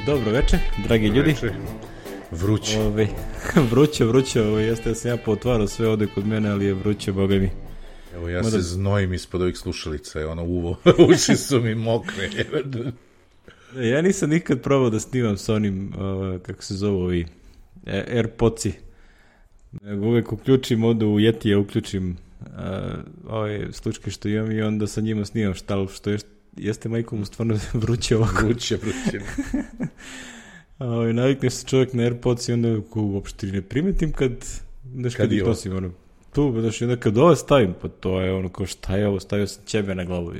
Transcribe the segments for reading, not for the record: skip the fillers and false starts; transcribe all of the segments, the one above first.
Dobro večer, dragi ljudi. Vruće. Vruće, jeste da sam ja potvarao sve ovde kod mene, ali je vruće, boga mi. Evo ja se znojim ispod ovih slušalica, uši su mi mokre. Ja nisam nikad probao da snimam s onim, kako se zove ovi, AirPodsi. Uvek uključim ovde u Yetija, uključim ove slučke što imam i onda sa njima snimam što jeste majkom stvarno vruće ovako. Vruće. Navikneš se čovjek na AirPods i onda uopšte ne primetim kad ih nosim. Onda kad ovo stavim, pa to je kao šta je ovo, stavio sam ćebe na glavu.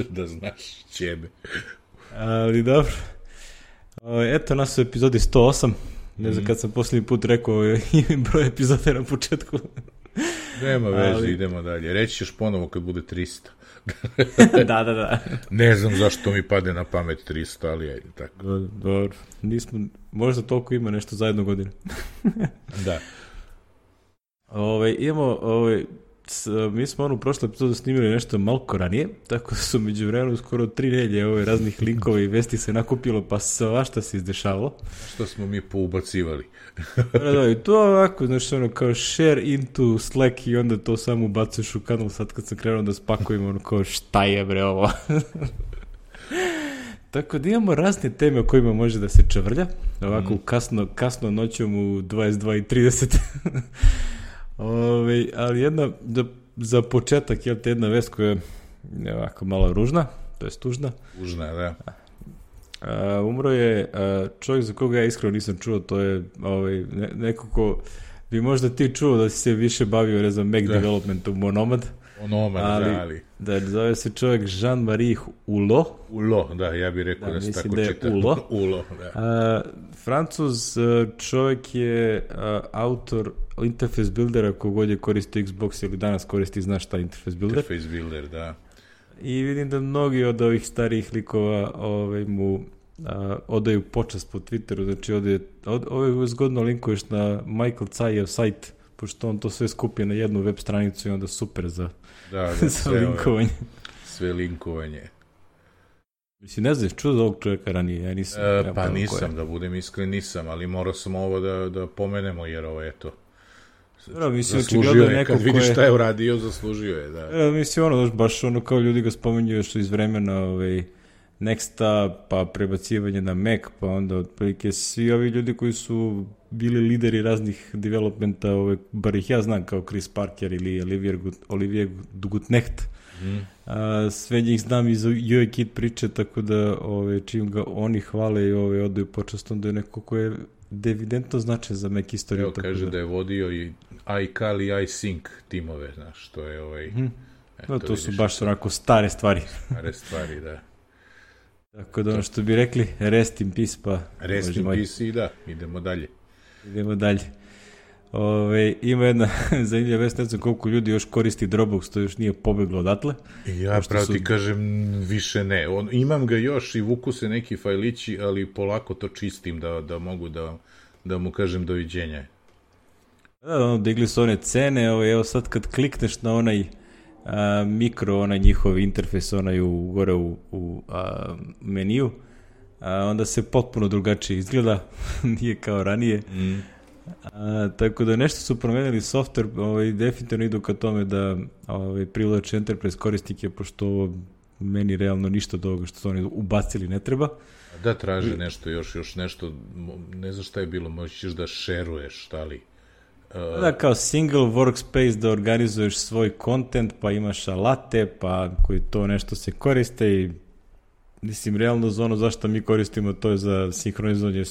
Da znaš, ćebe. Ali dobro. Eto nas u epizodi 108. Ne znam kad sam posljednji put rekao broj epizode na početku. Nema veze, idemo dalje. Reći ćeš ponovo kad bude 300. Da. Ne znam zašto mi pade na pamet 300, ali ajde tako. Dobro. Možda toliko ima nešto za jednu godinu. Da. Mi smo u prošloj epizodu snimili nešto malko ranije, tako da su među vremenu skoro 3 nedelje raznih linkova i vesti se nakupilo, pa svašta se izdešavalo. Što smo mi poubacivali. Da, i to ovako, znaš, kao share into Slack i onda to samo ubacuješ u kanal. Sad kad sam krenuo da spakujem, kao šta je bre ovo? Tako da imamo razne teme o kojima može da se čavrlja, ovako kasno noćom u 22:30. Ali jedna, za početak, jedna vest koja je ovako malo ružna, to je tužna. Tužna, da. Umro je čovjek za koga ja iskreno nisam čuo, to je neko ko bi možda ti čuo da si se više bavio Mac developmentom, Monomad. Ali... Da, zove se čovjek Jean-Marie Hulot. Hulot, da, ja bih rekao da se tako čita. Hulot, da. Francuz čovjek je autor Interface Buildera, kogod je koristio Xbox ili danas koristi, znaš šta Interface Builder? Interface Builder, da. I vidim da mnogi od ovih starijih likova mu odaju počast po Twitteru, znači ovdje zgodno linkuješ na Michael Cajev sajt, pošto on to sve skupi na jednu web stranicu i onda super za linkovanje. Sve linkovanje. Mislim, ne znaš, čuo za ovog čovjeka ranije, ja nisam. Pa nisam, da budem iskren, nisam, ali morao sam ovo da pomenemo, jer ovo je to. Zaslužio je, kad vidiš šta je uradio, zaslužio je, da. Mislim, baš kao ljudi ga spomenjuju što iz vremena Nexta, pa prebacivanje na Mac, pa onda otprilike svi ovi ljudi koji su bili lideri raznih developmenta, bar ih ja znam kao Chris Parker ili Olivier Gutnecht, sve njih znam iz UIKit priče, tako da čim ga oni hvale i odaju počast, onda je neko ko je evidentno značaj za Mac istoriju. Evo kaže da je vodio i iCal i iSync timove, znaš, to je to su baš onako stare stvari. Stare stvari, da. Tako da što bi rekli, rest in peace, pa... Rest in peace i da, idemo dalje. Ima jedna zanimljiva vest, ne znam koliko ljudi još koristi Dropbox, to još nije pobeglo odatle. Ja pravo ti kažem, više ne. Imam ga još i vuku se neki fajlići, ali polako to čistim da mogu da mu kažem doviđenja. Da, digli su one cene, evo sad kad klikneš na onaj mikro, onaj njihov interfejs, onaj gore u meniju, onda se potpuno drugačije izgleda, nije kao ranije. Tako da nešto su promenili software, definitivno idu ka tome da privlače enterprise korisnike, pošto ovo meni realno ništa od ovoga što su oni ubacili ne treba. Da, traže nešto još nešto, ne znam šta je bilo, možeš da šeruješ, šta li? Da, kao single workspace da organizuješ svoj content, pa imaš alate, pa koji to nešto se koriste i mislim, realno za ono zašto mi koristimo, to je za sinhronizovanje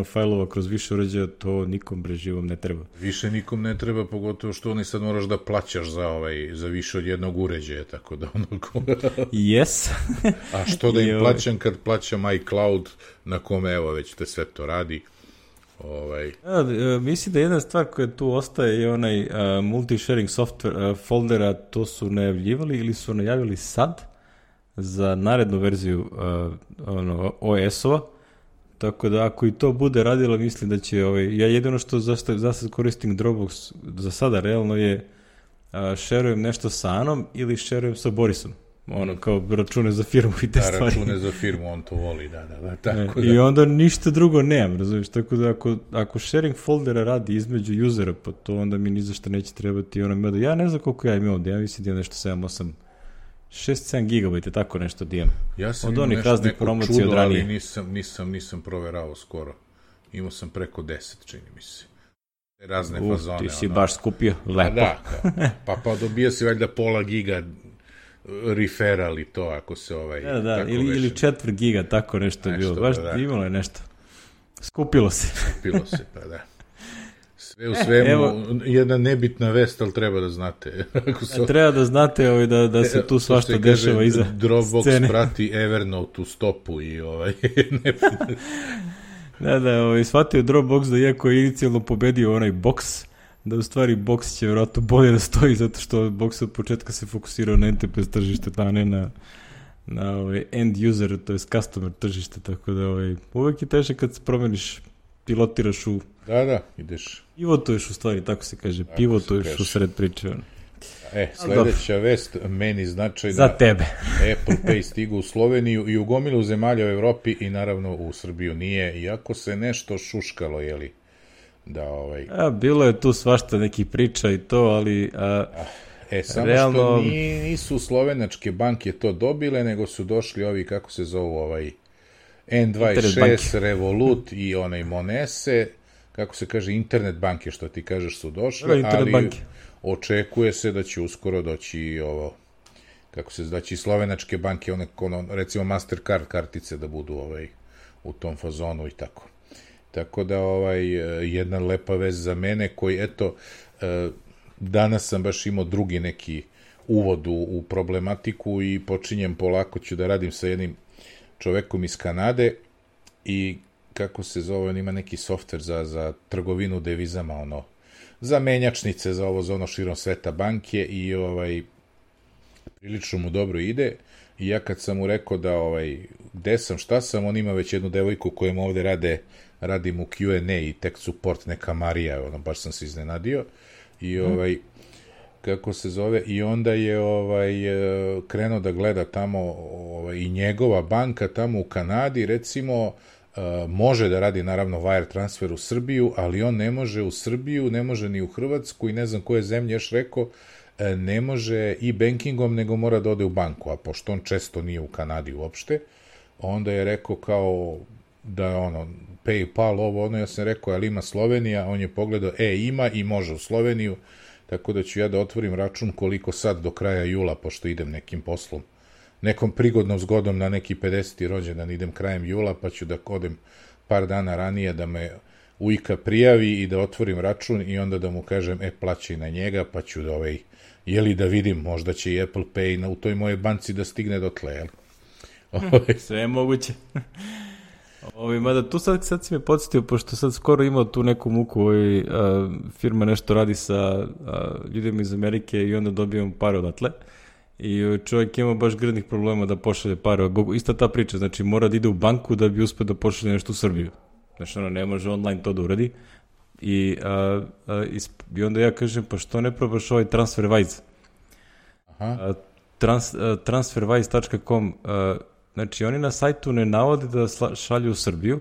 fajlova kroz više uređaja, to nikom živom ne treba. Više nikom ne treba, pogotovo što oni sad moraš da plaćaš za više od jednog uređaja, tako da Yes. A što da im plaćam kad plaćam iCloud, na kome evo već te sve to radi. Mislim da jedna stvar koja tu ostaje je onaj multi-sharing software foldera, to su najavljivali ili su najavili sad za narednu verziju OS-ova, tako da ako i to bude radilo, mislim da će ja jedino što za sad koristim Dropbox za sada realno je šerujem nešto sa Anom ili šerujem sa Borisom. ono kao račune za firmu i te stvari. Račune za firmu, on to voli, da, tako da. I onda ništa drugo nemam, razumiješ, tako da ako sharing foldera radi između usera, pa to onda mi ni za što neće trebati, ono, ja ne znam koliko ja imam ovdje, ja mislim da imam nešto 7-8, 6-7 gigabajta, tako nešto da imam. Ja sam imao neko čudo, ali nisam proverao skoro. Imao sam preko 10, čini mi se. Razne fazone. Ti si baš skupio, lepo. Da, pa dobija si valjda pola giga referral i to, ako se Da, ili 4 giga, tako nešto je bilo. Baš imalo je nešto. Skupilo se, pa da. Sve u svemu, jedna nebitna vest, ali treba da znate. Treba da znate da se tu svašta dešava iza scene. Dropbox prati Evernote u stopu i Da, shvatio Dropbox da iako je inicijalno pobedio onaj Box, da u stvari Box će vjerojatno bolje da stoji, zato što Box od početka se fokusirao na enterprise tržište, a ne na end user, to je customer tržište, tako da uvek je teže kad se promeniš, pilotiraš u... Da, ideš. Pivotuješ u stvari, tako se kaže, pivotuješ u sred priče. Sledeća vest, meni značajna. Za tebe. Apple Pay stigu u Sloveniju i u gomilu zemalja u Evropi i naravno u Srbiju nije, iako se nešto šuškalo, jeli? Bilo je tu svašta nekih priča i to, ali... Samo realno... što nisu slovenačke banke to dobile, nego su došli ovi, kako se zovu, N26, Revolut i Monese, kako se kaže, internet banke, što ti kažeš, su došle, ali očekuje se da će uskoro doći da će slovenačke banke, recimo Mastercard kartice da budu u tom fazonu i tako. Tako da jedna lepa vez za mene koji, eto, danas sam baš imao drugi neki uvod u problematiku i počinjem polako, ću da radim sa jednim čovekom iz Kanade i kako se zove, on ima neki softver za trgovinu devizama, za menjačnice, za ono širom sveta banke i prilično mu dobro ide i ja kad sam mu rekao da gde sam, šta sam, on ima već jednu devojku kojem ovde radim u Q&A i tech support, neka Marija, baš sam se iznenadio i kako se zove, i onda je krenuo da gleda tamo i njegova banka tamo u Kanadi, recimo, može da radi naravno wire transfer u Srbiju, ali on ne može u Srbiju, ne može ni u Hrvatsku i ne znam koje zemlje još rekao, ne može i bankingom, nego mora da ode u banku, a pošto on često nije u Kanadi uopšte, onda je rekao kao da je PayPal, ja sam rekao, ali ima Slovenija, on je pogledao, ima i može u Sloveniju, tako da ću ja da otvorim račun koliko sad do kraja jula, pošto idem nekim poslom, nekom prigodnom zgodom na neki 50. rođendan, idem krajem jula, pa ću da odem par dana ranije da me ujka prijavi i da otvorim račun i onda da mu kažem, plaćaj na njega, pa ću da vidim, možda će i Apple Pay u toj moje banci da stigne dotle, jel? Sve je moguće. Mada tu sad si me podsjetio, pošto sad skoro imao tu neku muku, firma nešto radi sa ljudima iz Amerike i onda dobijamo pare odatle. I čovjek ima baš grdnih problema da pošalje pare. Ista ta priča, znači mora da ide u banku da bi uspio da pošalje nešto u Srbiju. Znači ne može online to da uradi. I onda ja kažem, pa što ne probaš TransferWise? Transferwise.com, znači oni na sajtu ne navode da šalju u Srbiju,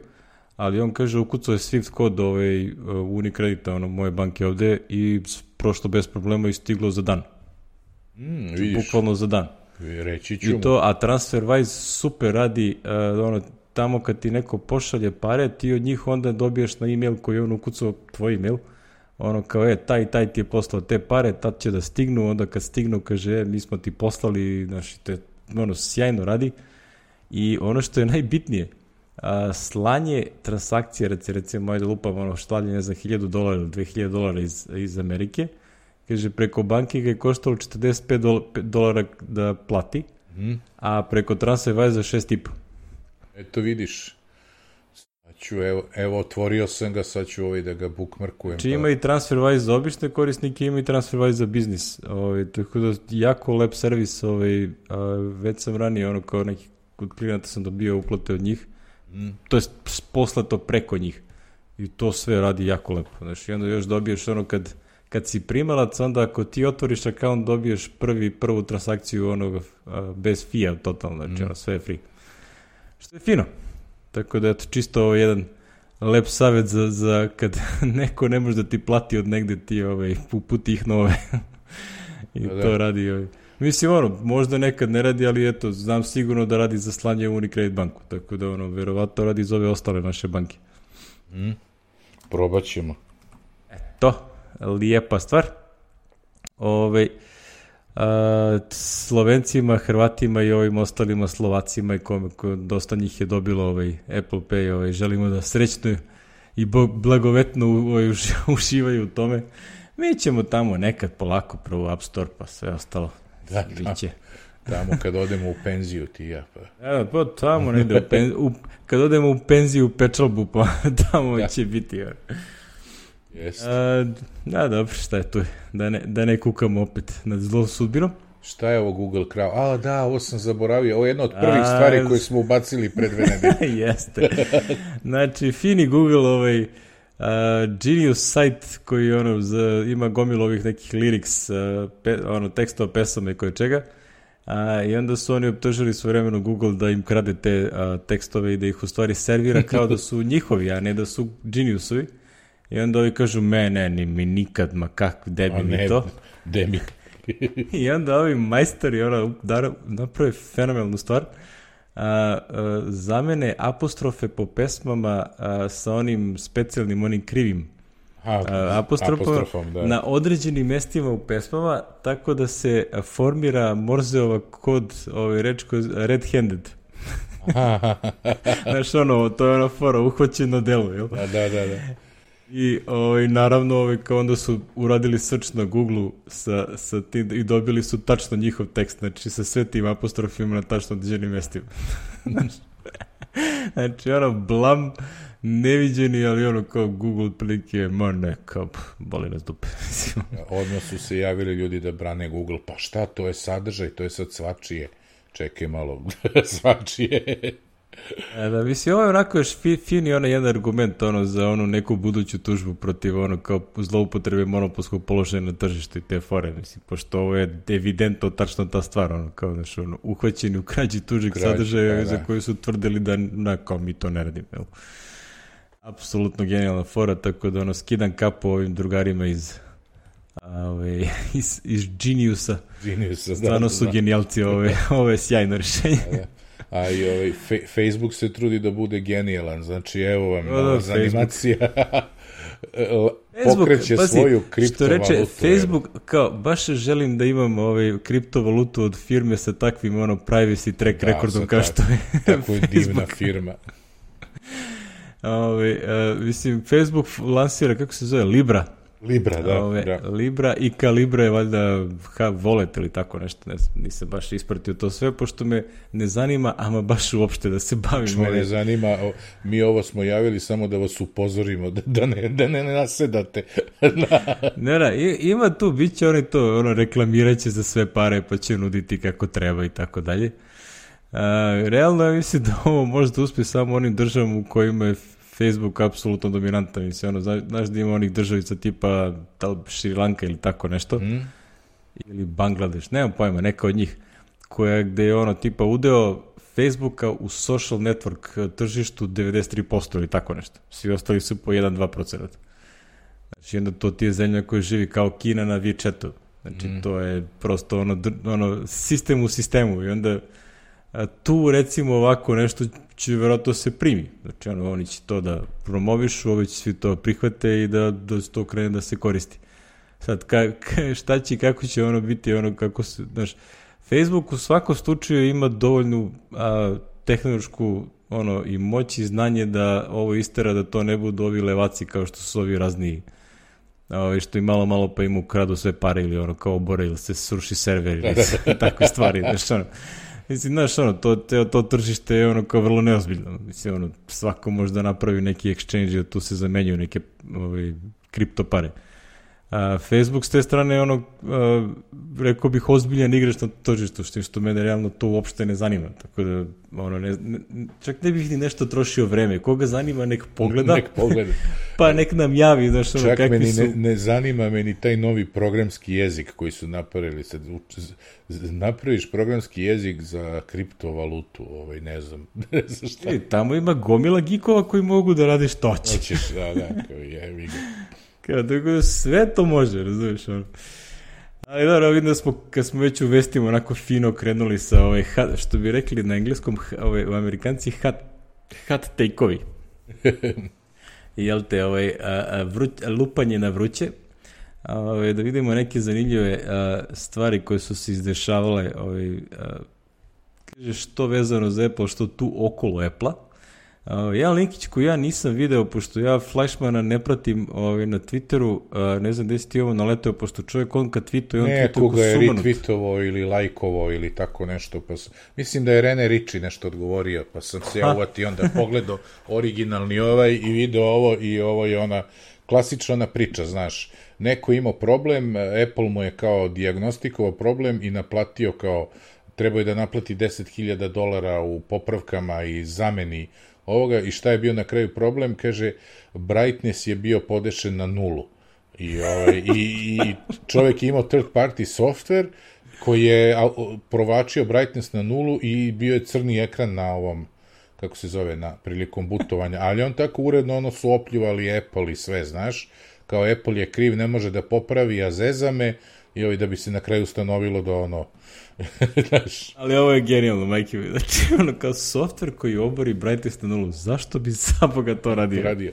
ali on kaže ukucao je Swift kod Unicredita, moje banke ovde i prošlo bez problema i stiglo za dan. Bukvalno za dan. Reći ću i to, a TransferWise super radi, tamo kad ti neko pošalje pare, ti od njih onda dobiješ na e-mail koji je on ukucao tvoj e-mail, kao taj ti je poslao te pare, tad će da stignu, onda kad stignu kaže mi smo ti poslali, znači te sjajno radi. I ono što je najbitnije, slanje transakcije, recimo ajde lupam, štalje ne znam $1,000 ili $2,000 iz Amerike, kaže preko banke ga je koštalo $45 da plati, a preko TransferWise za 6,5. Eto vidiš, evo otvorio sam ga, sad ću da ga bookmarkujem. Znači ima i TransferWise za obične korisnike, ima i TransferWise za biznis, tako da jako lep servis, već sam ranije kao neki kod klijenata sam dobio uplate od njih, to je poslato preko njih i to sve radi jako lepo. Znači onda još dobiješ kad si primalac, onda ako ti otvoriš account, dobiješ prvu transakciju onog bez fija totalno, znači sve je free. Što je fino. Tako da, eto, čisto ovo jedan lep savjet za kad neko ne može da ti plati od negde, ti uputi ih nove. I to radi. Mislim, možda nekad ne radi, ali eto, znam sigurno da radi za slanje u Unicredit banku, tako da, verovatno radi za ove ostale naše banke. Probat ćemo. Eto, lijepa stvar. Slovencima, Hrvatima i ovim ostalima Slovacima i dosta njih je dobilo Apple Pay, želimo da srećno i blagovetno uživaju u tome. Mi ćemo tamo nekad polako prvo App Store pa sve ostalo. Tamo kad odemo u penziju ti ja pa. Evo, pa tamo negde kad odemo u penziju u Pečalbu pa tamo će biti. Da, dobro, šta je tu? Da ne kukamo opet nad zlom sudbinom. Šta je ovo Google Crowd? Da, ovo sam zaboravio. Ovo je jedna od prvih stvari koje smo ubacili pred 2 nedelje. Jeste. Znači, fini Google Genius site koji ima gomilu ovih nekih lyrics, tekstova pesama i koje čega. I onda su oni optužili svojevremeno Google da im krade te tekstove i da ih u stvari servira kao da su njihovi, a ne da su Geniusovi. I onda ovi kažu, mi nikad, ma kako, debi mi to. Debi. I onda ovi majstori naprave fenomenalnu stvar. Zamene apostrofe po pesmama sa onim specijalnim, onim krivim apostrofom na određenim mestima u pesmama, tako da se formira Morzeova kod, reč red-handed. Znaš, to je ona fora, uhvaćeno delo, jel? Da. I naravno kao onda su uradili search na Google sa tim i dobili su tačno njihov tekst, znači sa sve tim apostrofima na tačno određenim mestima. Znači blam neviđeni, ali kao Google prilike, kao boli nas dupe. Odmah su se javili ljudi da brane Google, pa šta, to je sadržaj, to je sad svačije. Čekaj malo, svačije. Da, mislim, ovo je onako još fini jedan argument za neku buduću tužbu protiv kao zloupotrebe monopolskog položaja na tržištu i te fore, mislim, pošto ovo je evidentno tačno ta stvar, kao uhvaćeni u krađi tuđeg sadržaja za koju su tvrdili da kao mi to ne radimo, jel? Apsolutno genijalna fora, tako da skidam kapu ovim drugarima iz Geniusa. Stvarno su genijalci, ovo je sjajno rješenje. A i Facebook se trudi da bude genijalan, znači evo vam animacija. Pokreće svoju kriptovalutu. Što reče Facebook, kao baš želim da imam kriptovalutu od firme sa takvim privacy track rekordom kao što je tako je divna firma. Mislim, Facebook lansira, kako se zove, Libra. Libra i Calibra je valjda Wallet ili tako nešto, nisam baš ispratio to sve, pošto me ne zanima, ama baš uopšte da se bavim. Me ne zanima, mi ovo smo javili samo da vas upozorimo, da ne nasedate. Ima tu, bit će oni to, reklamirat će za sve pare, pa će nuditi kako treba i tako dalje. Realno ja mislim da ovo možda uspije samo onim državama u kojima je Facebook apsolutno dominantan, mislim, znaš da ima onih državica tipa Šri Lanka ili tako nešto, ili Bangladeš, nemam pojma, neka od njih, gde je tipa udeo Facebooka u social network tržištu 93% ili tako nešto, svi ostali su po 1-2%. Znači, onda to ti je zemlja koja živi kao Kina na WeChatu, znači to je prosto sistem u sistemu i onda tu recimo ovako nešto će vjerojatno se primi. Znači oni će to da promovišu, ovi će svi to prihvate i da to krene da se koristi. Sad, šta će, kako će biti, kako se, znaš, Facebook u svakom slučaju ima dovoljnu tehnološku i moć i znanje da ovo istera, da to ne budu ovi levaci kao što su ovi razni što i malo pa im ukradu sve pare ili kao obore ili se sruši server ili takve stvari, znaš, mislim, znaš, to tržište je kao vrlo neozbiljno. Mislim, svako može da napravi neki exchange i tu se zamenjuju neke kripto pare. Facebook s te strane je rekao bih ozbiljan igrač na tržištu, što mene realno to uopšte ne zanima, tako da čak ne bih ni nešto trošio vreme, koga zanima nek pogleda, pa nek nam javi, znaš, čak kakvi su... ne zanima me ni taj novi programski jezik koji su napravili, sad napraviš programski jezik za kriptovalutu, ne znam šta. Tamo ima gomila gikova koji mogu da rade što hoćeš. Jevi ga. Tako da sve to može, razumiješ, Ali dobro, vidim da smo, kad smo već u vestima onako fino krenuli sa što bi rekli na engleskom, u Amerikanci hot take-ovi. Jel te, lupanje na vruće. Da vidimo neke zanimljive stvari koje su se izdešavale, kaže što vezano za Apple, što tu okolo Apple-a. Jedan linkić koji ja nisam video, pošto ja Fleischmana ne pratim na Twitteru, ne znam gde si ti ovo naletao, pošto čovjek on kad tweetuje, on tweetuje ko sumanut. Nekoga je retweetovao ili lajkovao ili tako nešto, pa mislim da je Rene Ritchie nešto odgovorio, pa sam se ja uvatio onda pogledao originalni i video ovo i ovo je ona klasična ona priča, znaš, neko imao problem, Apple mu je kao dijagnostikovao problem i naplatio trebao je da naplati $10,000 u popravkama i zameni ovoga, i šta je bio na kraju problem, kaže, brightness je bio podešen na 0. I čovjek je imao third party software koji je provačio brightness na 0 i bio je crni ekran na ovom, kako se zove, prilikom butovanja, ali on tako uredno su opljuvali Apple i sve, znaš, kao Apple je kriv, ne može da popravi, a zezame, i da bi se na kraju ustanovilo da Ali ovo je genijalno, majke mi. Znači, kao software koji obori brightness na 0, zašto bi Saboga to radio?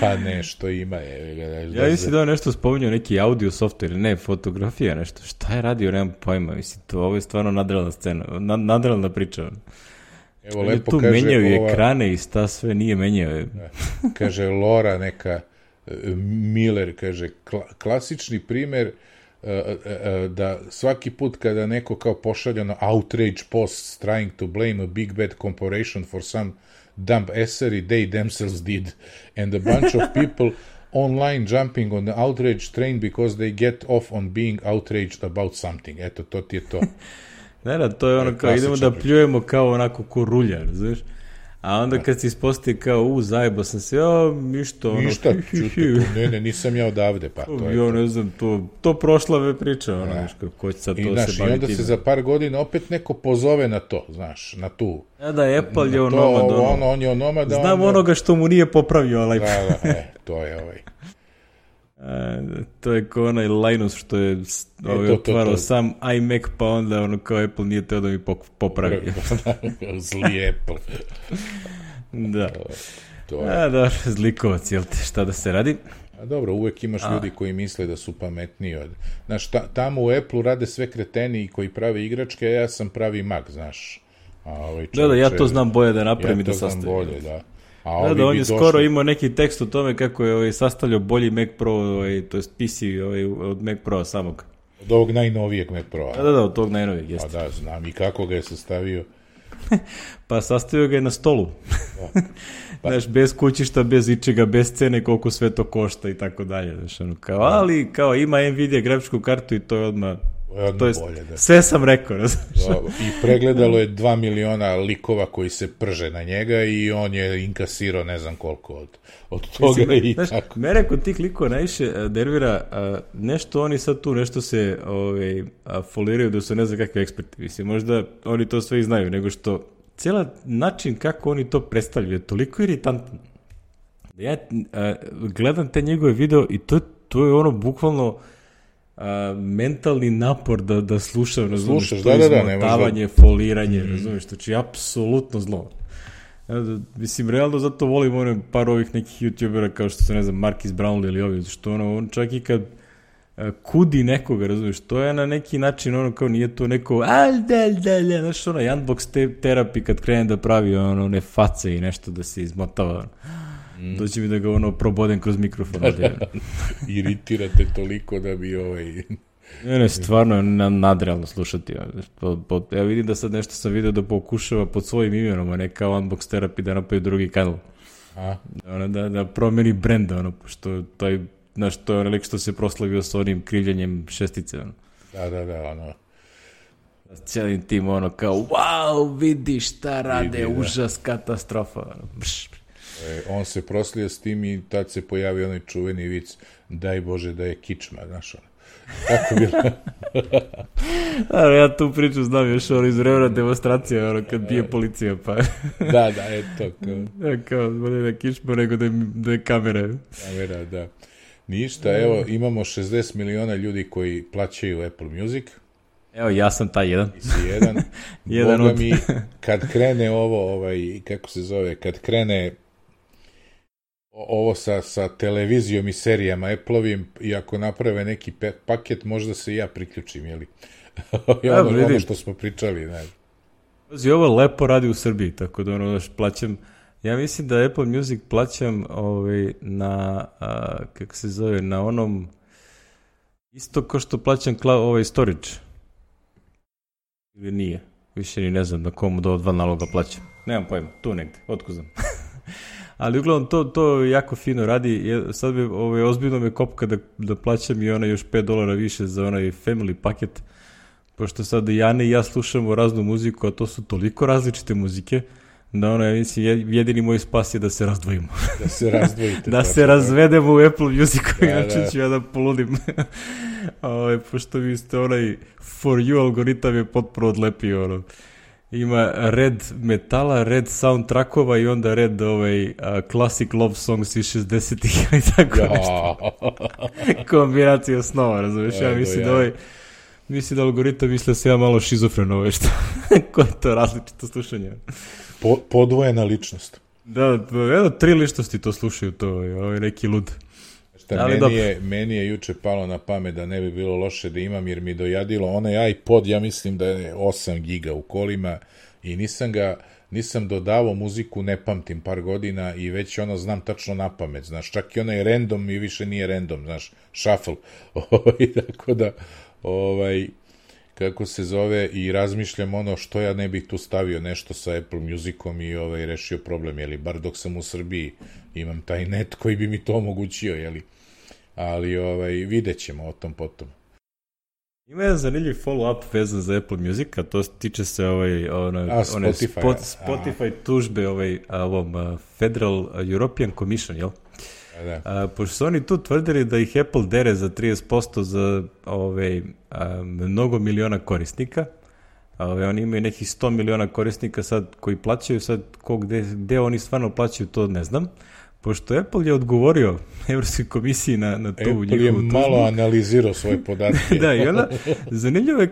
Pa nešto ima. Ja mislim da je nešto spominjao, neki audio software, ne, fotografija, nešto. Šta je radio, nemam pojma. Mislim, ovo je stvarno nadrealna scena, nadrealna priča. Evo, lepo tu kaže... Tu menjaju ekrane i sta sve nije menjao. Kaže Laura neka Miller, kaže, klasični primer da svaki put kada neko kao pošalja na outrage posts trying to blame a big bad corporation for some dumb essery they themselves did, and a bunch of people online jumping on the outrage train because they get off on being outraged about something. Eto, to ti je to. Da, to je ono kao idemo da pljujemo kao onako ko rulja, znaš? A onda kad se ispostavi kao, zajebo sam se, ništa, ne, nisam ja odavde, pa to je to. Ne znam, to prošla priča, ko će sad to se baviti. I onda se za par godina opet neko pozove na to, znaš, na tu. Da, Apple je onomad, on je onomad. Znam onoga što mu nije popravio, ali... To je to je kao onaj Linus što je otvarao sam iMac, pa onda kao Apple nije teo da mi popravi. Zli Apple. Da. Dobro, zlikovac, jel te, šta da se radi? A dobro, uvek imaš ljudi koji misle da su pametniji od... Znaš, tamo u Apple rade sve kreteni koji prave igračke, a ja sam pravi Mac, znaš. Da, ja to znam bolje da napravim i da sastavim. Ja to znam bolje, da. Da, on je skoro imao neki tekst o tome kako je sastavljao bolji Mac Pro, to je PC od Mac Pro samog. Od ovog najnovijeg Mac Pro. Da, od tog najnovijeg, jeste. Da, znam i kako ga je sastavio. Pa sastavio ga je na stolu. Znaš, bez kućišta, bez ičega, bez cene, koliko sve to košta i tako dalje. Ali kao ima Nvidia grafičku kartu i to je odmah... To je bolje, da. Sve sam rekao, i pregledalo je 2 miliona likova koji se prže na njega i on je inkasirao ne znam koliko od toga. Mislim, i tako. Mene kod tih likova najviše nervira nešto oni sad tu, nešto se foliraju da su ne znam kakvi eksperti. Mislim, možda oni to sve i znaju, nego što cijela način kako oni to predstavljaju je toliko iritantan. Ja gledam te njegove video i to je ono bukvalno mentalni napor da slušam, razumiješ, to izmotavanje, foliranje, razumiješ, to je apsolutno zlo. Mislim, realno zato volim par ovih nekih youtubera kao što se, ne znam, Marcus Brownlee ili ovi, što on čak i kad kudi nekoga, razumiješ, to je na neki način kao nije to neko znaš, unbox therapy kad krene da pravi one face i nešto da se izmotava, doći mi da ga probodem kroz mikrofon. Iritirate toliko da bi Ne, stvarno je nadrealno slušati. Ja vidim da sad nešto sam vidio da pokušava pod svojim imenom, a ne kao Unbox Therapy da napravi drugi kanal. Da promeni brenda, pošto taj znaš, to je lik što se proslavio sa onim krivljenjem šestice, ono. Da, ono. Cijelim tim, ono, kao, wow, vidi šta rade, užas, katastrofa, ono. On se proslio s tim i tad se pojavio onaj čuveni vic, daj Bože da je kičma, znaš, ono. Kako bilo? Ja tu priču znam još ono iz vremena demonstracije, ono, kad bije policija, pa... Da, eto, kao, bolje da kičma nego da je kamera. Kamera, da. Ništa, evo, imamo 60 miliona ljudi koji plaćaju Apple Music. Evo, ja sam taj jedan. Ti si jedan. Boga mi, kad krene ovo, kako se zove, kad krene ovo sa televizijom i serijama Apple-ovim, i ako naprave neki paket, možda se i ja priključim, jeli? Ono što smo pričali, ne. Pazi, ovo lepo radi u Srbiji, tako da ono plaćam, ja mislim da Apple Music plaćam na, kako se zove, na onom, isto kao što plaćam storage. Ili nije, više ni ne znam na komu do 2 naloga plaćam. Nemam pojma, tu negde, otko znam. Ali uglavnom to jako fino radi. Sad bi ozbiljno me kopka da plaćam i još $5 više za onaj family paket, pošto sad Jane i ja slušamo raznu muziku, a to su toliko različite muzike, da ja mislim, jedini moj spas je da se razdvojimo. Da se razdvojite. Da se razvedemo u Apple Musicu, inače ću ja da poludim. Pošto vi ste For You algoritam je potpuno odlepio, Ima red metala, red soundtrackova i onda red classic love songs iz 60-ih i tako nešto. Kombinacija snova, razumiješ? Ja mislim da algoritam misle se ja malo šizofren što koje je to različito slušanje. Podvojena ličnost. Da, 3 ličnosti to slušaju, to je neki lud. Meni je juče palo na pamet da ne bi bilo loše da imam, jer mi dojadilo onaj iPod, ja mislim da je 8 giga u kolima i nisam dodavao muziku, ne pamtim par godina i već znam tačno na pamet, znaš, čak i onaj random i više nije random, znaš, shuffle, tako da, kako se zove, i razmišljam što ja ne bih tu stavio nešto sa Apple Musicom i rešio problem, jeli, bar dok sam u Srbiji imam taj net koji bi mi to omogućio, jeli, ali vidjet ćemo o tom potom. Ima jedan zanimljiv follow-up vezan za Apple Music, a to tiče se Spotify tužbe ovom Federal European Commission, jel? Pošto su oni tu tvrdili da ih Apple dere za 30% za mnogo miliona korisnika. Oni imaju nekih 100 miliona korisnika sad koji plaćaju, sad gde oni stvarno plaćaju, to ne znam. Pošto Apple je odgovorio Evropskoj komisiji na tu njihovu tužbu. Apple je malo analizirao svoje podatke. Da, i onda zanimljivo je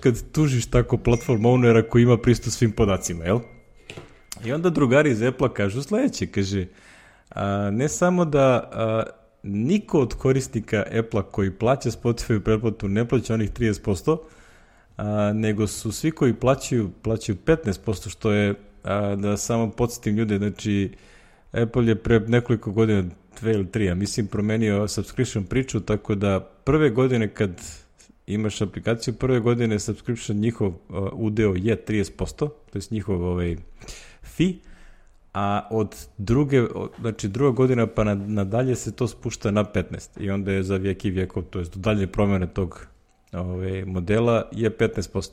kad tužiš tako platform ownera koji ima pristup svim podacima, jel? I onda drugari iz Apple-a kažu sledeće, kaže, ne samo da niko od korisnika Apple-a koji plaća Spotify pretplatu ne plaća onih 30%, nego su svi koji plaćaju 15%, što je, da samo podsjetim ljude, znači Apple je pre nekoliko godina, 2 ili 3, mislim, promenio subscription priču, tako da prve godine kad imaš aplikaciju, prve godine subscription njihov udeo je 30%, to je njihov fee, a od druga godina pa nadalje se to spušta na 15 i onda je za vijek i vijekov, to je do dalje promjene tog modela je 15%.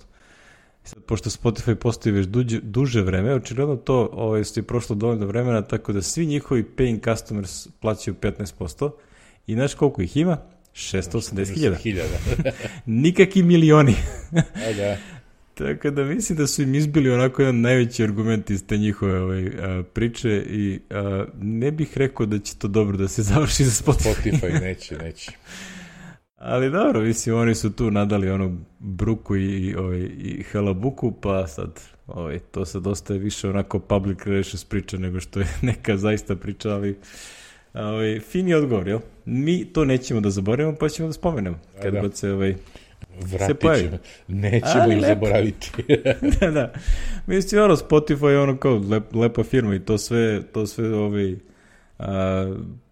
Sad, pošto Spotify postoji već duže vreme, očigledno to je prošlo dovoljno vremena, tako da svi njihovi paying customers plaćaju 15% i znaš koliko ih ima? 680.000. Nikakvi milioni. Da. Tako da mislim da su im izbili onako jedan najveći argument iz te njihove priče i ne bih rekao da će to dobro da se završi za Spotify. Spotify neće. Ali dobro, mislim, oni su tu nadali onu bruku i halabuku, pa sad to sad ostaje više onako public relations priča nego što je neka zaista priča, ali fin je odgovor, jel? Mi to nećemo da zaboravimo, pa ćemo da spomenemo. Kad god se vratit ćemo, nećemo ih zaboraviti. Da. Mislim, Spotify je ono kao lepa firma i to sve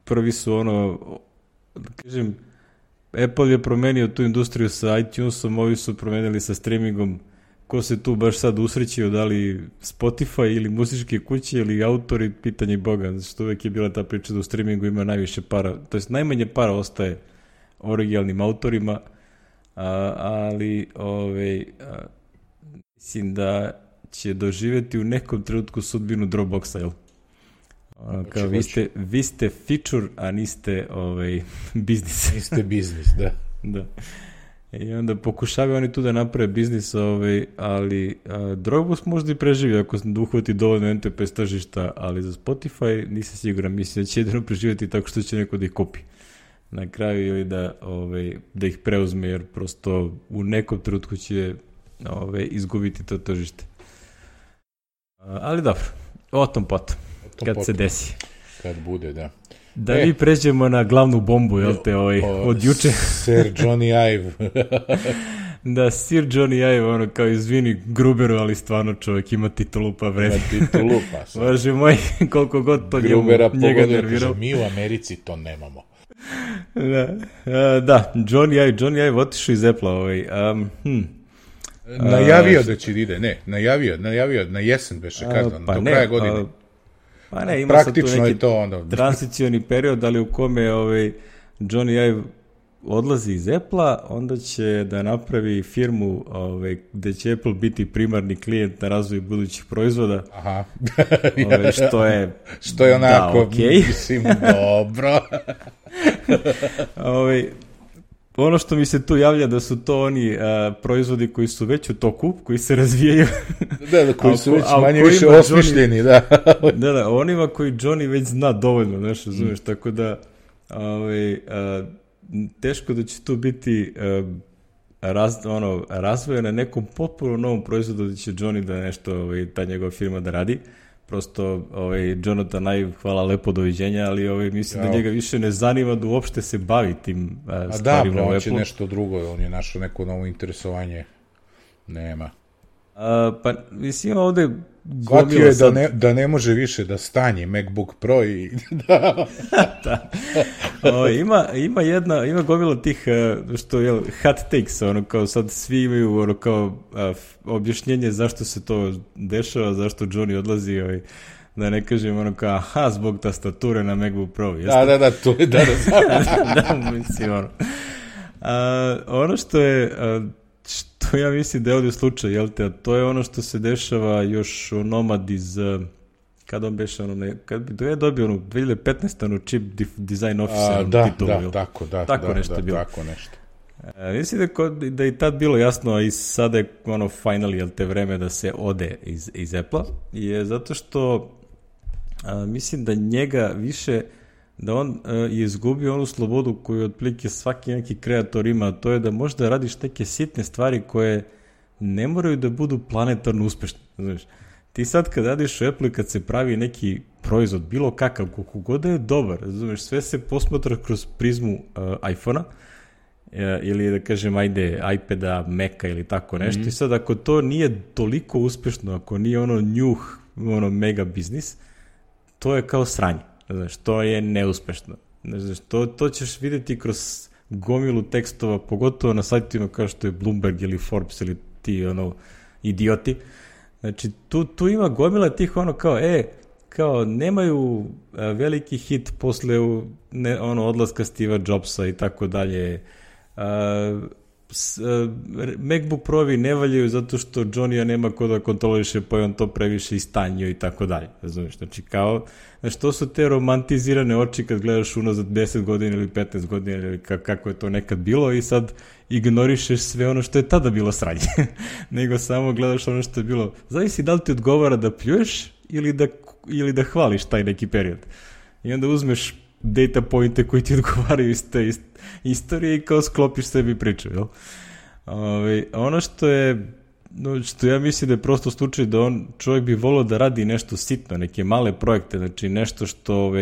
prvi su da kažem, Apple je promenio tu industriju sa iTunesom, ovi su promenili sa streamingom ko se tu baš sad usrećio, da li Spotify ili muzičke kuće ili autori, pitanje Boga, zato što uvek je bila ta priča da u streamingu ima najviše para, to jest najmanje para ostaje originalnim autorima, ali mislim da će doživjeti u nekom trenutku sudbinu Dropboxa, jel? Kao vi ste feature, a niste biznis. Niste biznis, da. Da. I onda pokušavaju oni tu da naprave biznis, ali Dropbox možda i preživi ako se uhvati dovoljno enterprise tržišta, ali za Spotify nisam siguran, mislim da će jedino preživjeti tako što će neko da ih kupi na kraju ili da ih preuzme, jer prosto u nekom trenutku će izgubiti to tržište. Ali dobro, o tom potom, kad se desi. Kad bude, da. Da mi pređemo na glavnu bombu, jel te, od juče. Sir Johnny Ive. Da, Sir Johnny Ive, kao izvini Gruberu, ali stvarno čovjek ima titulu pa vredi. Ima titulu pa. Bože moj, koliko god to njega nervirao. Mi u Americi to nemamo. Da, Johnny Ive otišao iz Apple-a. Najavio da će ide, najavio na jesen beše kazan, do kraja godine. Pa ne, ima praktično sad tu neki to onda transicioni period, ali u kome Johnny Ive odlazi iz Apple-a, onda će da napravi firmu gde će Apple biti primarni klijent na razvoju budućih proizvoda. Aha. Što je onako, da, okay. Mislim, dobro. Ono što mi se tu javlja da su to oni proizvodi koji su već u toku, koji se razvijaju. Da, koji su već manje više osmišljeni, da. Da, onima koji Johnny već zna dovoljno, znaš, razumeš, tako da teško da će tu biti razvoja na nekom potpuno novom proizvodu da će Johnny da nešto, ta njegova firma da radi. Prosto Jonathan Ive, hvala lepo, doviđenja, ali mislim da njega više ne zanima da uopšte se bavi tim stvarima u Apple. On će nešto drugo, on je našao neko novo interesovanje. Nema. Pa mislim ovde shvatio je da ne može više da stanje MacBook Pro i da. Ima gomila tih što je hot takes, kao sad svi imaju kao objašnjenje zašto se to dešava, zašto Johnny odlazi, da ne kažem kao zbog tastature na MacBook Pro. Da, to je da mislim ono što je što ja mislim da je ovdje slučaj, jel te, a to je ono što se dešava još u Nomad iz, kada on beše, kad je dobio 2015. Chip Design Officer titulu, tako nešto bilo. Tako nešto. Mislim da je tad bilo jasno, a i sada je finally, jel te, vreme da se ode iz Apple-a, je zato što mislim da njega više, da on je izgubio onu slobodu koju otprilike svaki neki kreator ima, a to je da možda radiš neke sitne stvari koje ne moraju da budu planetarno uspešne. Znaš, ti sad kad radiš u Apple, kad se pravi neki proizvod, bilo kakav, koliko god da je dobar, znaš, sve se posmatra kroz prizmu iPhona, ili da kažem, iPada, Maca ili tako nešto. I sad ako to nije toliko uspešno, ako nije mega biznis, to je kao sranje. Znaš, to je neuspešno. Znaš, to ćeš vidjeti kroz gomilu tekstova, pogotovo na sajtima kao što je Bloomberg ili Forbes ili ti idioti. Znači, tu ima gomila tih kao nemaju veliki hit posle odlaska Steva Jobsa i tako dalje. MacBook Pro-vi ne valjaju zato što Johnny-a nema ko da kontroliše, pa je on to previše istanjio i tako dalje. Razumiješ? Znači, to su te romantizirane oči kad gledaš unazad 10 godina ili 15 godina ili kako je to nekad bilo i sad ignorišeš sve ono što je tada bilo sranje. Nego samo gledaš ono što je bilo. Zavisi da li ti odgovara da pljuješ ili da hvališ taj neki period. I onda uzmeš data pointe koji ti odgovaraju iz te istorije i kao sklopiš sebi priču, jel? Ono što ja mislim da je prosto slučaj da čovjek bi volio da radi nešto sitno, neke male projekte, znači nešto što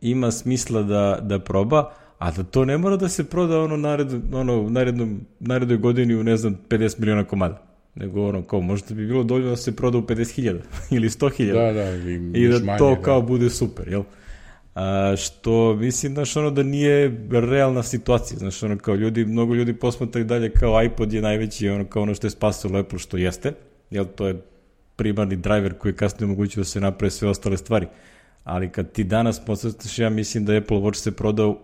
ima smisla da proba, a da to ne mora da se proda narednoj godini u, 50 miliona komada. Nego kao možda bi bilo dovoljno da se proda u 50.000 ili 100.000 da, i da to kao bude super, jel? što mislim, znaš, ono da nije realna situacija, znaš, ono kao mnogo ljudi posmatra i dalje kao iPod je najveći, ono kao ono što je spasilo Apple, što jeste, jer to je primarni driver koji je kasnije omogućio da se naprave sve ostale stvari. Ali kad ti danas posmetaš, ja mislim da Apple Watch se prodao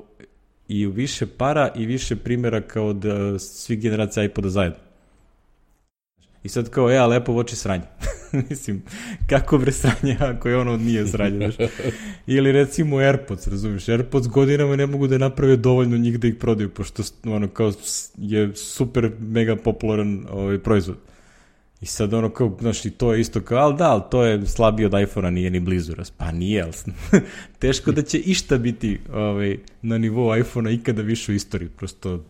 i u više para i više primjera kao od svih generacija iPoda zajedno. I sad kao, ali Apple Watch je sranje. Mislim, kako bre sranje ako je ono nije sranje, znaš. Ili recimo AirPods, razumiješ, AirPods godinama ne mogu da naprave dovoljno njih da ih prodaju, pošto ono kao je super mega popularan proizvod. I sad ono kao, znaš, i to je isto kao, ali to je slabije od iPhone-a, nije ni blizu. Pa nije, ali teško da će išta biti na nivou iPhone-a ikada više u istoriji. Prosto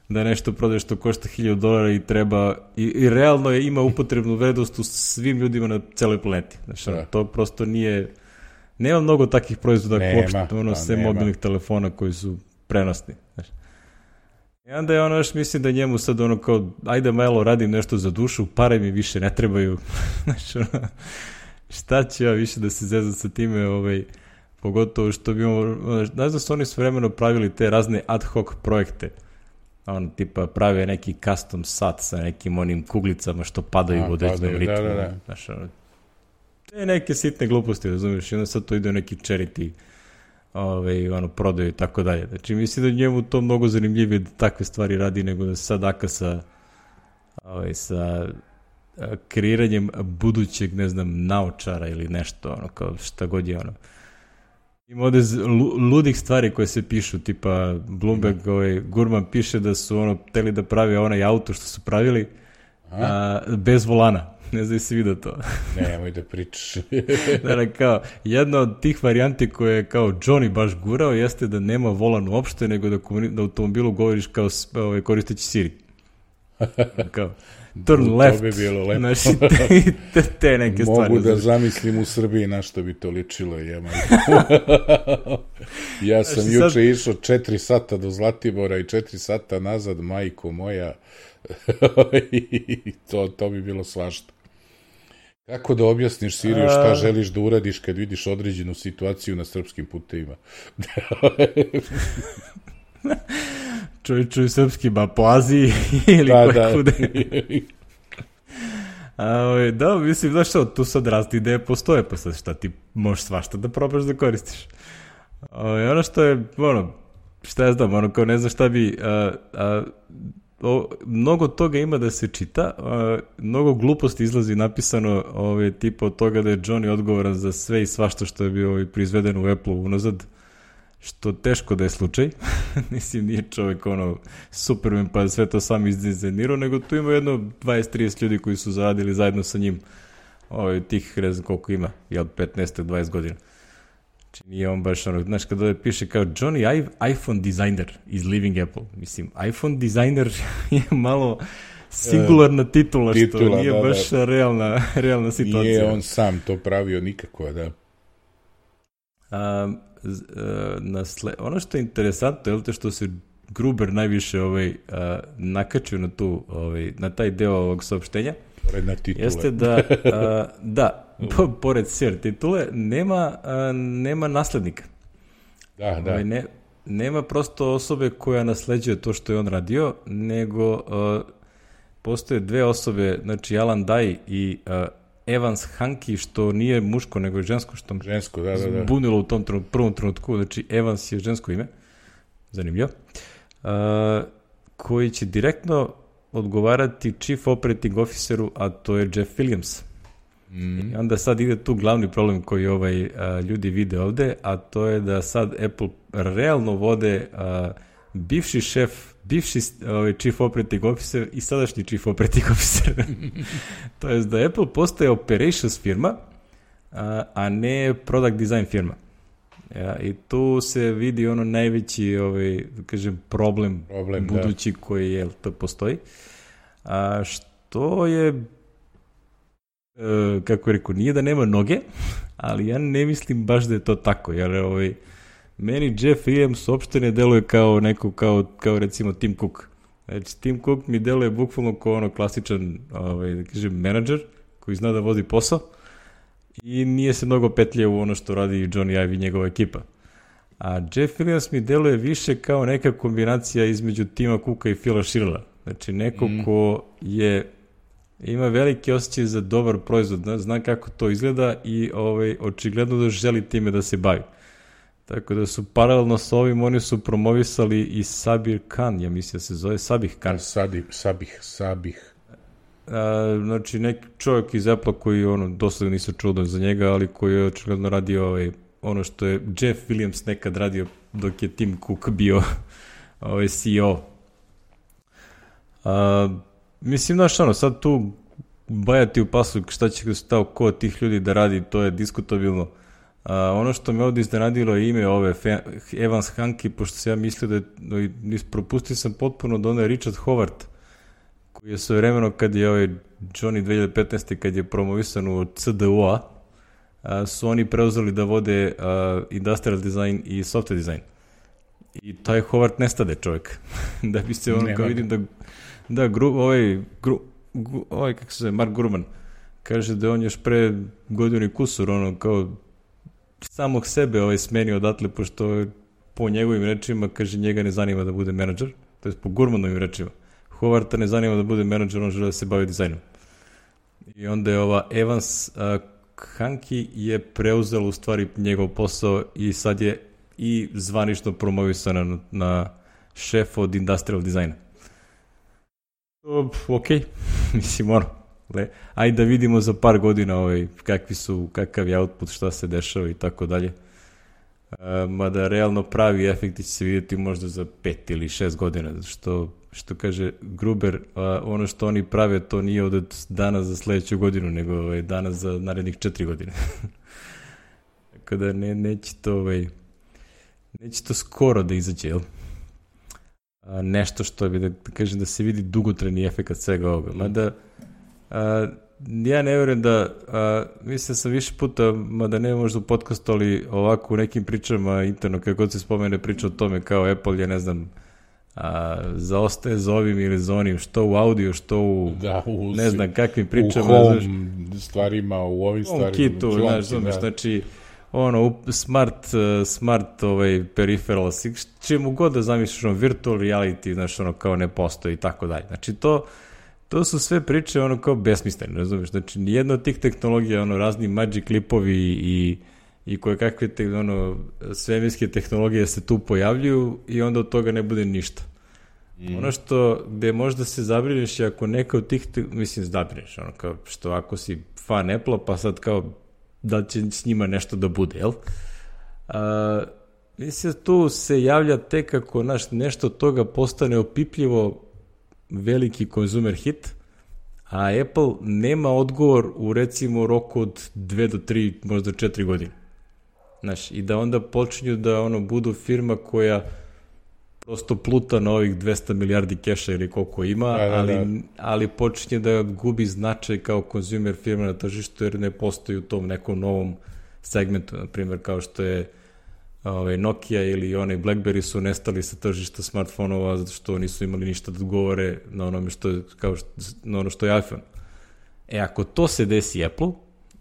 da nešto prodaješ što košta $1,000 i treba, i realno ima upotrebnu vrednost u svim ljudima na celoj planeti. Znaš, to prosto nije, nema mnogo takvih proizvoda uopšte, sve mobilnih telefona koji su prenosni. Znaš. I onda je ono još, mislim da njemu sad ono kao, ajde malo radim nešto za dušu, pare mi više ne trebaju. Znaš, ono, šta ću ja više da se zezam sa time, pogotovo što bi znaš da su oni s vremenom pravili te razne ad hoc projekte. On tipa prave neki custom sat sa nekim onim kuglicama što padaju u određenom ritmu. Znaš, te neke sitne gluposti, razumiješ, i onda sad to ide u neki charity prodaju i tako dalje. Znači, mislim da njemu to mnogo zanimljivije da takve stvari radi nego da se sad aka sa kreiranjem budućeg, ne znam, naočara ili nešto, ono, kao šta god je ono. Ima ovde ludih stvari koje se pišu, tipa Bloomberg, Gurman piše da su hteli da prave onaj auto što su pravili bez volana. Ne znam da si vidio to. Nemoj da pričaš. Kao, jedna od tih varijanti koje je kao Johnny baš gurao jeste da nema volan uopšte, nego da automobilu govoriš kao koristeći Siri. Kao, turn left. To bi bilo lepo. Znači, te neke stvari. Mogu da zamislim u Srbiji na što bi to ličilo. Ja sam juče išao 4 sata do Zlatibora i 4 sata nazad, majko moja. To bi bilo svašta. Kako da objasniš Siriju šta želiš da uradiš kad vidiš određenu situaciju na srpskim putevima? Čuj srpski, po Aziji ili kude. Da, mislim, znaš što, tu sad razne ideje postoje, pa sad šta ti možeš svašta da probaš da koristiš. Ono što je, šta ja znam, kao ne znam šta bi... mnogo toga ima da se čita, mnogo gluposti izlazi napisano tipa od toga da je Johnny odgovoran za sve i svašta što je bio proizveden u Apple-u unazad, što teško da je slučaj. Mislim, nije čovek Superman pa sve to sam izdizajnirao, nego tu ima jedno 20-30 ljudi koji su zaradili zajedno sa njim tih, ne znam koliko ima, 15-20 godina. Znači, nije on baš znaš, kada ovdje piše kao Johnny iPhone designer is leaving Apple. Mislim, iPhone designer je malo singularna titula, što nije baš realna situacija. Nije on sam to pravio nikako, da. Ono što je interesantno, je što se Gruber najviše nakačio na na taj deo ovog saopštenja, jeste da pored SER titule nema naslednika. Da. Nema prosto osobe koja nasleđuje to što je on radio, nego postoje dve osobe, znači Alan Dye i Evans Hanke, što nije muško, nego je žensko, što me bunilo u tom prvom trenutku, znači Evans je žensko ime, zanimljivo, koji će direktno odgovarati Chief Operating Officeru, a to je Jeff Williams. I onda sad ide tu glavni problem koji ljudi vide ovde, a to je da sad Apple realno vode bivši šef, bivši Chief Operating Officer i sadašnji Chief Operating Officer. To je da Apple postaje operations firma, a ne product design firma. I tu se vidi najveći problem budući koji to postoji. Što je, kako je rekao, nije da nema noge, ali ja ne mislim baš da je to tako, jer meni Jeff Williams uopšte ne deluje kao neko, kao recimo Tim Cook. Znači, Tim Cook mi deluje bukvalno kao klasičan, da kažem, menadžer koji zna da vodi posao i nije se mnogo petlje u ono što radi Johnny Ive i njegova ekipa. A Jeff Williams mi deluje više kao neka kombinacija između Tima Cooka i Phila Schillera. Znači, neko ko ima veliki osjećaj za dobar proizvod, zna kako to izgleda i očigledno da želi time da se bavi. Tako da su paralelno s ovim, oni su promovisali i Sabir Khan, ja mislim da se zove Sabih Khan. Sabih. Znači, neki čovjek iz Apple koji, dosta nisam čuo za njega, ali koji je očigledno radio ono što je Jeff Williams nekad radio dok je Tim Cook bio CEO. Mislim, znaš, sad tu bajati u pasu šta će ko od tih ljudi da radi, to je diskutabilno. Ono što me ovdje iznenadilo je ime Evans Hanke, pošto se ja mislio da propustio sam potpuno da je Richard Howard, koji je svojevremeno kad je Johnny 2015. kad je promovisan u CDU-a, su oni preuzeli da vode industrial design i software design. I taj Howard nestade čovjek. Da bi se kao vidim kako se zove, Mark Gurman, kaže da on još pre godinu i kusur, kao samog sebe smenio odatle, pošto po njegovim rečima, kaže, njega ne zanima da bude menadžer, to je po Gurmanovim rečima. Howarda ne zanima da bude menadžer, on žele da se bavi dizajnom. I onda je Evans Hanke je preuzela u stvari njegov posao i sad je i zvanično promovisana na šef od industrial dizajna. Ok, mislim, ajde da vidimo za par godina kakav je output, šta se dešava i tako dalje. Mada realno pravi efekti će se vidjeti možda za 5 ili 6 godina, što kaže Gruber, ono što oni prave, to nije od danas za sledeću godinu, nego danas za narednih 4 godine. Tako da neće to skoro da izađe, jel? Nešto što bi, da kažem, da se vidi dugotrajni efekt svega ovoga. Mada, ja ne vjerujem da, mislim sam više puta, mada ne možda u podcastu, ali ovako u nekim pričama interno, kako god se spomene priča o tome kao Apple je, ne znam, zaostaje za ovim ili za onim, što u audio, što u ne znam kakvim pričama. U home stvarima, u ovim stvarima. U kitu, znači, smart peripherals, čemu god da zamisliš, virtual reality, znači, kao ne postoji i tako dalje. Znači, to su sve priče kao besmislene, razumiješ? Znači, nijedna od tih tehnologija, razni magic clipovi i koje kakve svemirske tehnologije se tu pojavljuju i onda od toga ne bude ništa. Ono što, gde možda se zabrineš je ako neka od tih, mislim, zabrineš, kao što ako si fan Apple-a, pa sad kao da će s njima nešto da bude, jel? Mislim, tu se javlja tek ako nešto od toga postane opipljivo veliki konzumer hit, a Apple nema odgovor u, recimo, roku od 2 do 3, možda 4 godine. Znaš, i da onda počinju da budu firma koja prosto pluta na ovih 200 milijardi keša ili koliko ima, ali počinje da gubi značaj kao konzumer firma na tržištu jer ne postoji u tom nekom novom segmentu, na primjer kao što je Nokia ili BlackBerry su nestali sa tržišta smartfonova zato što nisu imali ništa da odgovore na ono što je iPhone. Ako to se desi Apple,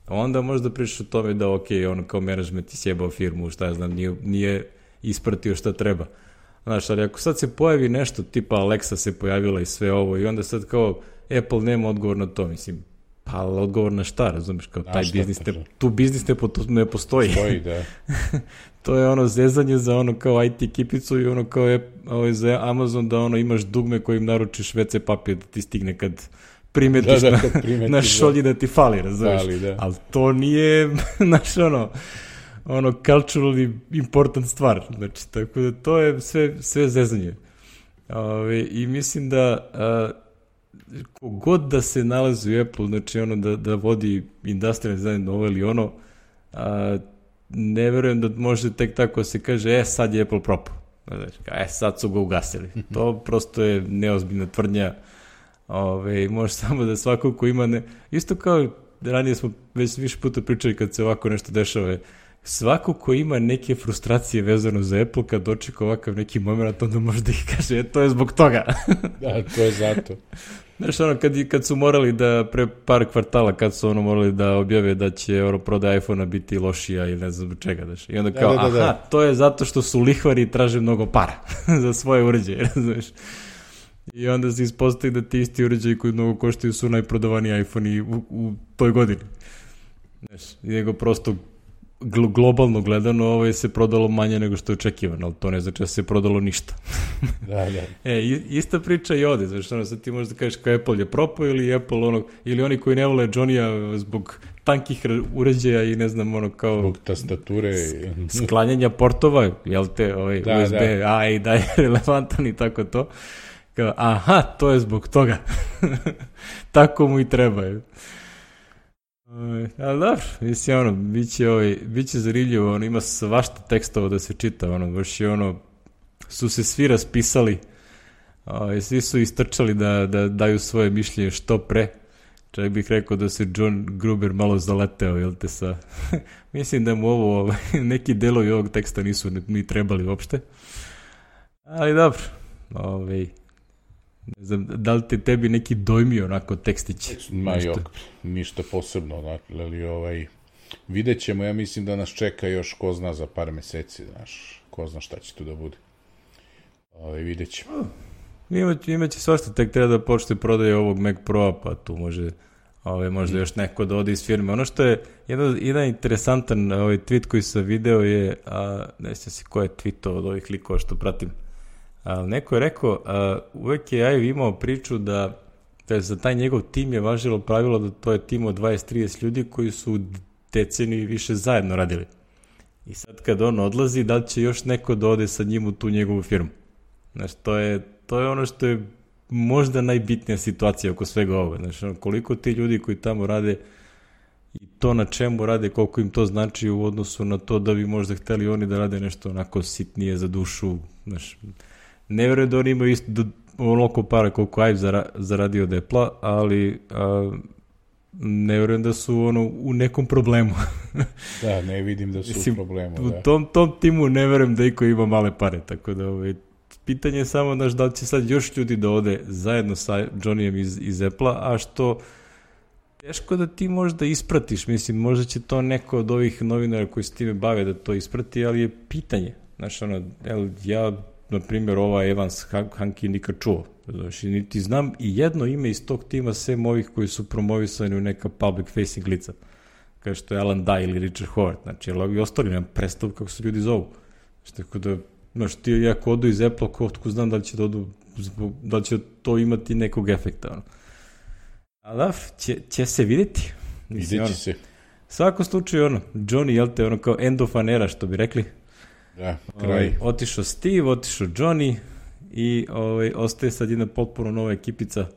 onda možda pričaš o tome da kao management je sjebao firmu, šta ja znam, nije ispratio šta treba. Znaš, ali ako sad se pojavi nešto tipa Alexa se pojavila i sve ovo i onda sad kao Apple nema odgovor na to, mislim, pa odgovor na šta, razumiješ, kao taj biznis, tu biznis ne postoji. Da. To je zezanje za kao IT ekipicu i kao za Amazon da imaš dugme kojim naručiš WC papir da ti stigne kad primetiš na šolji da ti fali, razumiješ, ali to nije naš culturally important stvar, znači, tako da to je sve zezanje. I mislim da kogod da se nalazi u Apple, znači da vodi industrial design ovo ili ono, ne verujem da može tek tako se kaže, sad je Apple propao. Sad su ga ugasili. To prosto je neozbiljna tvrdnja. Može samo da svako ko ima... Isto kao ranije smo već više puta pričali kad se ovako nešto dešava, svako ko ima neke frustracije vezano za Apple, kad dočeka ovakav neki moment, onda može da ih kaže, to je zbog toga. Da, to je zato. Znaš, kad su morali da, pre par kvartala, kad su morali da objave da će prodaja iPhone-a biti lošija ili ne znam čega, znaš. I onda kao, to je zato što su lihvari i traže mnogo para za svoje uređaje, znaš. I onda se ispostavi da ti isti uređaji koji mnogo koštaju su najprodavaniji iPhone-i u toj godini. Znaš, nego prosto globalno gledano se prodalo manje nego što je očekivano, ali to ne znači da se prodalo ništa. Da. Ista priča i ovde, znači sad ti možeš da kažeš kao Apple je propao ili Apple ili oni koji ne vole Johnny-a zbog tankih uređaja i ne znam kao zbog tastature sklanjanja portova, jel te USB A i da je relevantan i tako to. Kao, aha, to je zbog toga. Tako mu i treba. Ali dobro, mislim, biće zanimljivo, ima svašta tekstova da se čita, baš je su se svi raspisali, svi su istrčali da daju svoje mišljenje što pre, čak bih rekao da se John Gruber malo zaleteo, jel te sa, mislim da mu neki delovi ovog teksta nisu ni trebali uopšte, ali dobro, ne znam, da li te tebi neki dojmi onako tekstić? Ništa posebno, ali vidjet ćemo, ja mislim da nas čeka još ko zna za par meseci, znaš, ko zna šta će tu da bude. Vidjet ćemo. Imaće svašta, tek treba da počne prodaje ovog Mac Pro-a, pa tu možda još neko da ode iz firme. Ono što je jedan interesantan tweet koji sam video je, ne znam si ko je tweetao od ovih likova što pratim, ali neko je rekao, uvek je Ive imao priču da za taj njegov tim je važilo pravilo da to je tim od 20-30 ljudi koji su deceniju više zajedno radili. I sad kad on odlazi, da li će još neko da ode sa njim u tu njegovu firmu? Znaš, to je ono što je možda najbitnija situacija oko svega ovoga. Znaš, koliko ti ljudi koji tamo rade i to na čemu rade, koliko im to znači u odnosu na to da bi možda hteli oni da rade nešto onako sitnije za dušu, znaš, ne verujem da oni imaju isto onoliko para koliko Ive zaradio od Apple-a, ali ne verujem da su u nekom problemu. Da, ne vidim da su u problemu. U tom timu ne verujem da iko ima male pare, tako da pitanje je samo da li će sad još ljudi da ode zajedno sa Johnnyjem iz Apple-a, a što teško da ti možda ispratiš, mislim, možda će to neko od ovih novinara koji se time bave da to isprati, ali je pitanje. Znaš, ja na primjer, Evans Hanki nikad čuo. Znači, niti znam i jedno ime iz tog tima, sem ovih koji su promovisani u neka public facing lica. Kao što je Alan Dye ili Richard Howard. Znači, ovi ostali nemam predstavu kako se ljudi zovu. Znači, tako da, ti ako odu iz Apple, ko znam da li će da li će to imati nekog efekta. Ali da, će se vidjeti. Vidjet će se. Svako slučaju, Johnny, jel te, kao end of an era, što bi rekli. Da, kraj. Otišao Steve, otišao Johnny i ostaje sad jedna potpuno nova ekipica,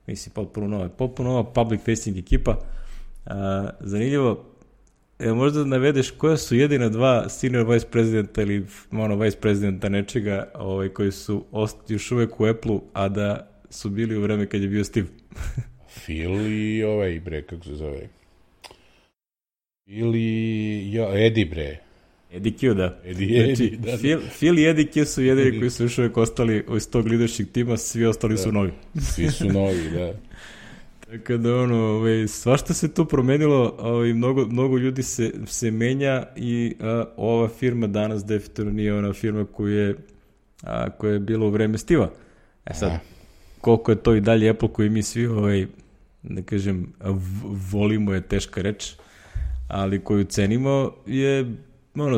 mislim potpuno nova public facing ekipa. Zanimljivo, možda da navedeš koja su jedina dva senior vice presidenta ili vice presidenta nečega koji su još uvek u Apple-u, a da su bili u vreme kad je bio Steve. Phil i kako se zove? Eddie, bre. Eddie Q, da. Phil i Eddie Q su jedini koji su još uvijek ostali iz tog leadership tima, svi ostali su novi. Svi su novi, da. Tako da, svašta se tu promenilo, mnogo ljudi se menja i ova firma danas definitivno nije ona firma koja je bila u vreme Steve-a. Sad, koliko je to i dalje Apple koji mi svi, da kažem, volimo je teška reč, ali koju cenimo je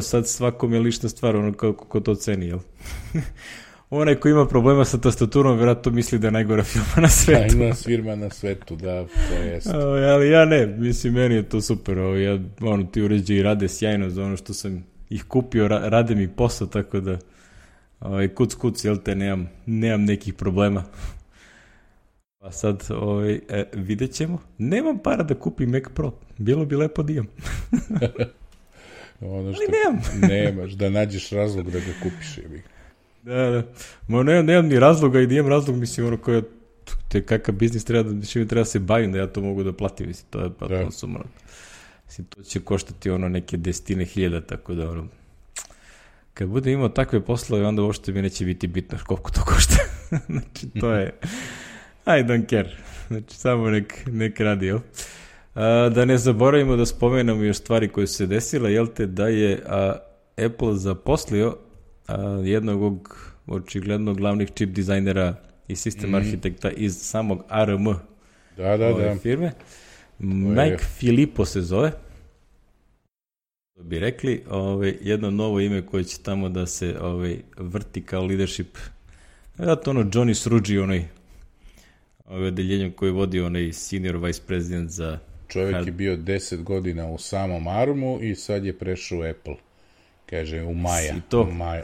sad svakom je lična stvar, kako to ceni, jel? Onaj ko ima problema sa tastaturom, vjerojatno misli da je najgora firma na svetu. Najgora firma na svetu, da, to jest. Ali ja ne, mislim, meni je to super. Ti uređaji rade sjajno za ono što sam ih kupio, rade mi posao, tako da kuc, jel te, nemam nekih problema. Pa sad, vidjet ćemo. Nemam para da kupim Mac Pro. Bilo bi lepo da imam. Nemaš, da nađeš razlog da ga kupiš. Da. Nemam ni razloga i da imam razlog, mislim, kakav biznis treba da se bavim, da ja to mogu da platim, mislim, to je pa sumorno. to će koštati neke 10.000, tako da kad bude imao takve poslove, onda uopšte mi neće biti bitno koliko to košta. Znači, to je I don't care. Znači, samo nek radi, jel? Da ne zaboravimo da spomenemo još stvari koje su se desile, jel te, da je Apple zaposlio jednog očigledno glavnih čip dizajnera i sistem arhitekta iz samog ARM firme. Mike Filippo se zove. To bi rekli, jedno novo ime koje će tamo da se vrti kao leadership. Zato Johnny Sruji, odeljenjem koji vodi senior vice president za... Čovjek je bio 10 godina u samom ARM-u i sad je prešao u Apple. Kaže, u Maja.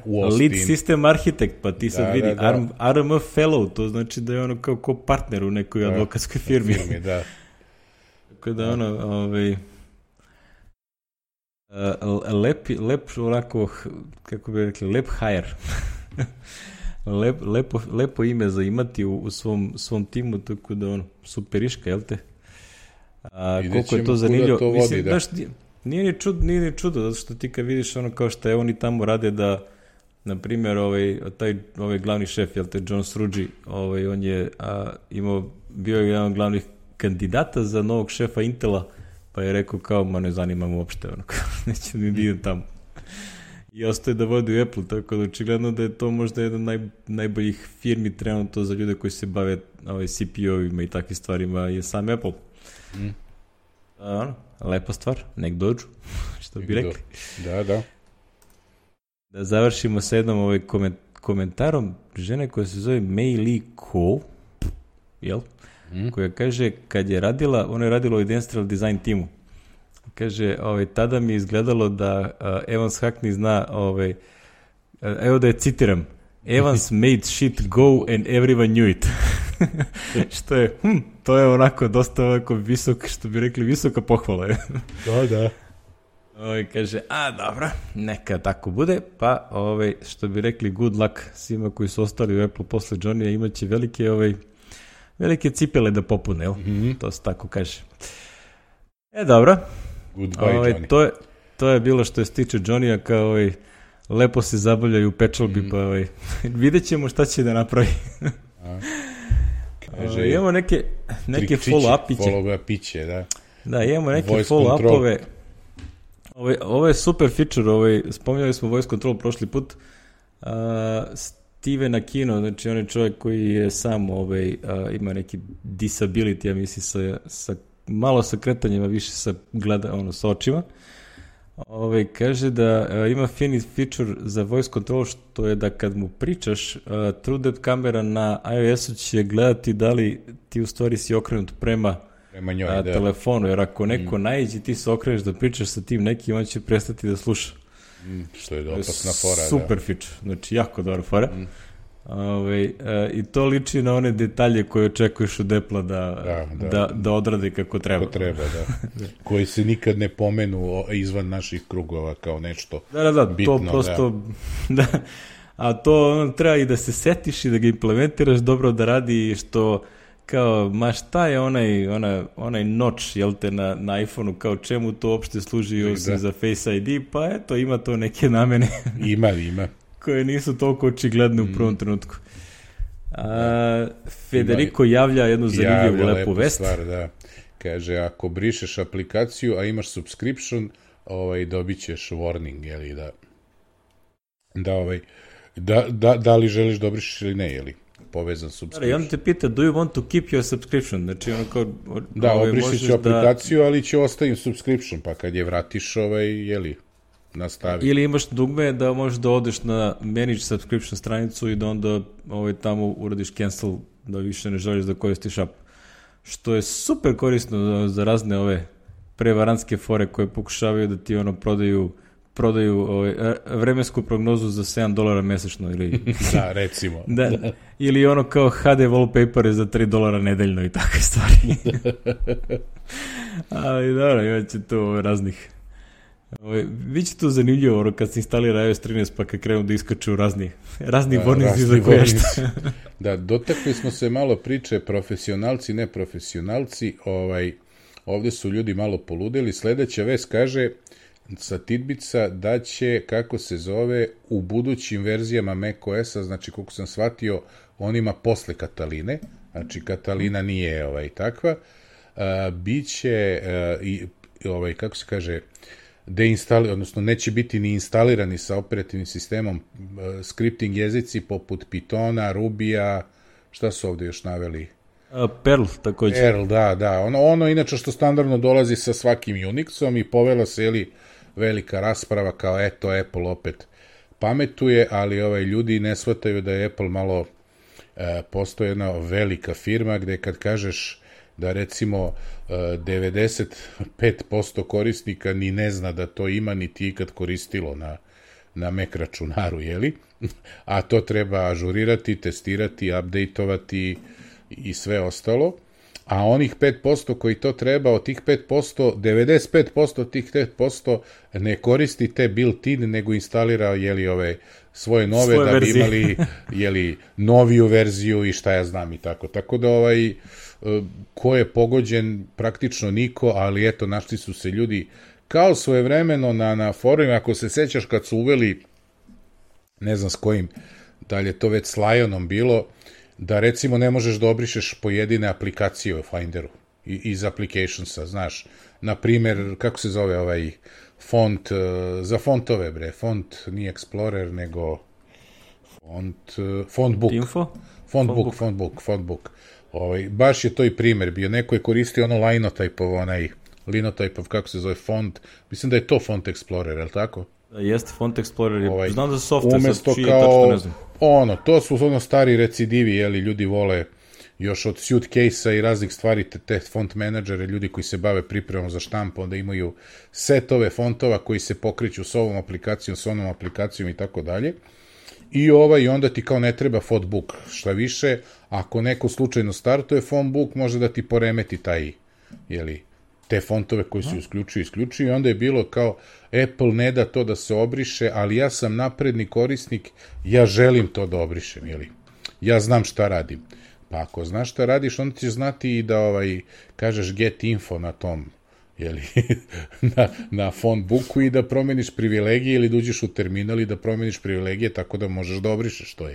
U Austin. Lead system architect, pa ti sad vidi ARM fellow, to znači da je kao partner u nekoj advokatskoj firmi. Da. Tako da lep onako, kako bi rekli, lep hire. lepo ime za imati u svom timu, tako da superiška, jel te? Koliko je to zanimljivo. To vodi, znaš, nije ni čudo, zato što ti kad vidiš kao što oni tamo rade da, na primjer, ovaj glavni šef, jel te, John Sruji, on je bio je jedan od glavnih kandidata za novog šefa Intela, pa je rekao kao, ne zanima mu uopšte, neće ni idem tamo. I ostaje da vodi u Apple, tako da očigledno da je to možda jedan najboljih firmi trenutno za ljude koji se bave CPU-ovima i takvim stvarima je sam Apple. Lepa stvar, nek dođu, što bi rekli. Da. Da završimo sa jednom komentarom žene koja se zove Mei Li Kuo, jel? Koja kaže, kad je radila, ona je radila u Industrial Design timu. Kaže, tada mi je izgledalo da Evans Hackney zna, evo da je citiram, Evans made shit go and everyone knew it. Što je, to je onako dosta visok, što bi rekli, visoka pohvala. Da. Kaže, dobro, neka tako bude, pa što bi rekli, good luck svima koji su ostali u Apple posle Johnny-a, imaće velike cipele da popune, jel? To se tako kaže. Dobro. Goodbye, Johnny. To je bilo što se tiče Johnny-a, kao lepo se zabavljaju u pečalbi, pa vidjet ćemo šta će da napravi. Imamo neke follow-upiće, da. Da, imamo neke follow-upove. Ovo je super feature, spominjali smo voice control prošli put. Steven Aquino, znači on je čovjek koji je sam ima neki disability, ja mislim, malo sa kretanjima, više sa očima. Kaže da ima fini feature za voice control, što je da kad mu pričaš, TrueDepth kamera na iOS-u će gledati da li ti u stvari si okrenut prema njoj, telefonu, jer ako neko naiđe ti se okreneš da pričaš sa tim nekim, on će prestati da sluša. Što je opasna fora. Super feature, znači jako dobra fora. I to liči na one detalje koje očekuješ od Apple da odrade kako treba. Koji se nikad ne pomenu izvan naših krugova kao nešto To bitno. prosto, a to treba i da se setiš i da ga implementiraš dobro, da radi, što kao, šta je onaj notch, jel te, na iPhone-u, kao čemu to uopšte služi osim za Face ID, pa eto, ima to neke namene. Ima. Koje nisu toliko očigledne u prvom trenutku. Federico javlja jednu zanimljivu lepu vest. Stvar, da. Kaže, ako brišeš aplikaciju, a imaš subscription, dobit ćeš warning, jeli, da li želiš da obrišeš ili ne, jeli, povezan subscription. I on te pita, do you want to keep your subscription? Znači, obrišit ću aplikaciju, ali će ostavim subscription, pa kad je vratiš, jeli, nastavi. Ili imaš dugme da možeš da odeš na manage subscription stranicu i da onda tamo uradiš cancel, da više ne želiš da koristiš app. Što je super korisno za razne ove prevarantske fore koje pokušavaju da ti prodaju vremensku prognozu za $7 mesečno ili da, recimo. Ili kao HD wallpapere za $3 nedeljno i takve stvari. Ali dobro, imat će tu raznih. Biće to zanimljivo kad se instalira iOS 13 pa kad krenu da iskaču razni warnings za koje šta. Da, dotakli smo se malo priče profesionalci, neprofesionalci. ovde su ljudi malo poludeli. Sledeća vest kaže sa Tidbica da će, kako se zove, u budućim verzijama macOS-a, znači koliko sam shvatio, onima posle Kataline, znači Katalina nije takva, biće kako se kaže, odnosno neće biti ni instalirani sa operativnim sistemom scripting jezici poput Pythona, Rubija, šta su ovde još naveli? Perl, takođe. Perl, da. Ono inače što standardno dolazi sa svakim Unixom i povela se, velika rasprava kao eto, Apple opet pametuje, ali ljudi ne shvataju da je Apple malo postoje jedna velika firma gde kad kažeš da recimo 95% korisnika ni ne zna da to ima, ni ti ikad koristilo na Mac računaru, a to treba ažurirati, testirati, updateovati i sve ostalo, a onih 5% koji to treba, od tih 5%, 95% od tih 5% ne koristi te built-in, nego instalira ove svoje nove, da bi imali noviju verziju i šta ja znam i tako. Tako da ko je pogođen, praktično niko, ali eto, našli su se ljudi kao svojevremeno na forumima, ako se sećaš kad su uveli, ne znam s kojim, da li je to već s Lionom bilo, da recimo ne možeš da obrišeš pojedine aplikacije u Finderu iz applicationsa, znaš, na primer, kako se zove font, za fontove, font nije Explorer, nego fontbook. Info? Fontbook. Baš je to i primer bio, neko je koristio Linotype, kako se zove, font, mislim da je to Font Explorer, je li tako? Jeste, Font Explorer, znam da su software, umesto kao, ne znam. To su stari recidivi, ljudi vole još od suitcase-a i raznih stvari, te font menadžere, ljudi koji se bave pripremom za štampu, onda imaju setove fontova koji se pokreću s ovom aplikacijom, s onom aplikacijom i tako dalje. I onda ti kao ne treba fontbook, šta više, ako neko slučajno startuje fontbook, može da ti poremeti taj, te fontove koji se isključuju i onda je bilo kao Apple ne da to da se obriše, ali ja sam napredni korisnik, ja želim to da obrišem, ja znam šta radim. Pa ako znaš šta radiš, onda ćeš znati i da kažeš get info na tom, na fontbooku i da promeniš privilegije ili da uđeš u terminal i da promeniš privilegije tako da možeš da obrišeš to,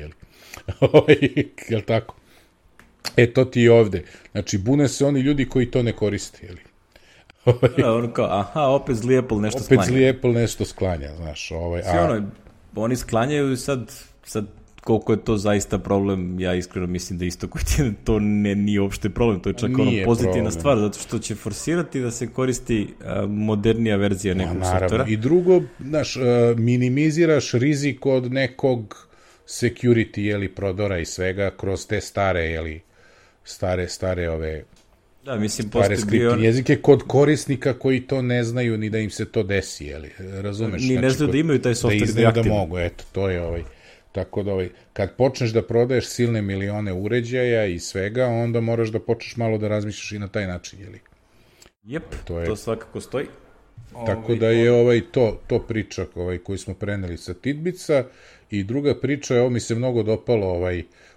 jel tako? To ti je ovde. Znači, bune se oni ljudi koji to ne koriste, opet zli Apple nešto sklanja. Opet zli Apple nešto sklanja, znaš. Oni sklanjaju i sad koliko je to zaista problem, ja iskreno mislim da isto koji ti to nije uopšte problem, to je čak pozitivna stvar, zato što će forsirati da se koristi modernija verzija nekog softvera. I drugo, znaš, minimiziraš rizik od nekog security, prodora i svega kroz te stare, stare ove... Da, mislim, stare skriptne jezike kod korisnika koji to ne znaju ni da im se to desi, razumeš? Ni ne znaju da imaju taj softver da je aktivno. Da mogu, to je tako da kad počneš da prodaješ silne milione uređaja i svega, onda moraš da počneš malo da razmišljaš i na taj način, Jep, to svakako stoji. Tako da je to priča koju smo preneli sa Tidbica i druga priča, ovo mi se mnogo dopalo,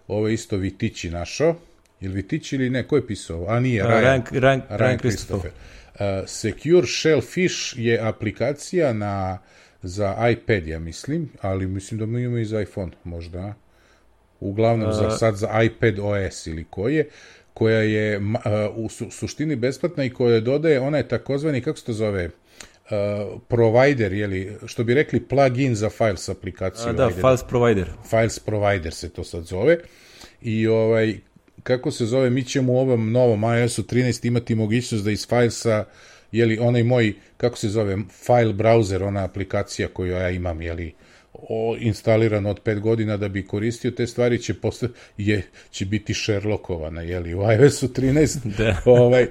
ovo isto Vitići našao. Ili Vitić ili ne, ko je pisao? A nije, Ryan Christopher. Secure Shellfish je aplikacija za iPad, ja mislim, ali mislim da mi imamo i za iPhone, možda. Uglavnom sad za iPad OS ili koja je u suštini besplatna i koja dodaje, ona je takozvani, kako se to zove, provider, što bi rekli plugin za Files aplikaciju. Da, Files provider. Files provider se to sad zove. I kako se zove, mi ćemo u ovom novom iOS-u 13 imati mogućnost da iz Filesa, onaj moj, kako se zove, file browser, ona aplikacija koju ja imam, instaliran od 5 godina da bi koristio te stvari, će biti Sherlockovana, u iOS-u 13,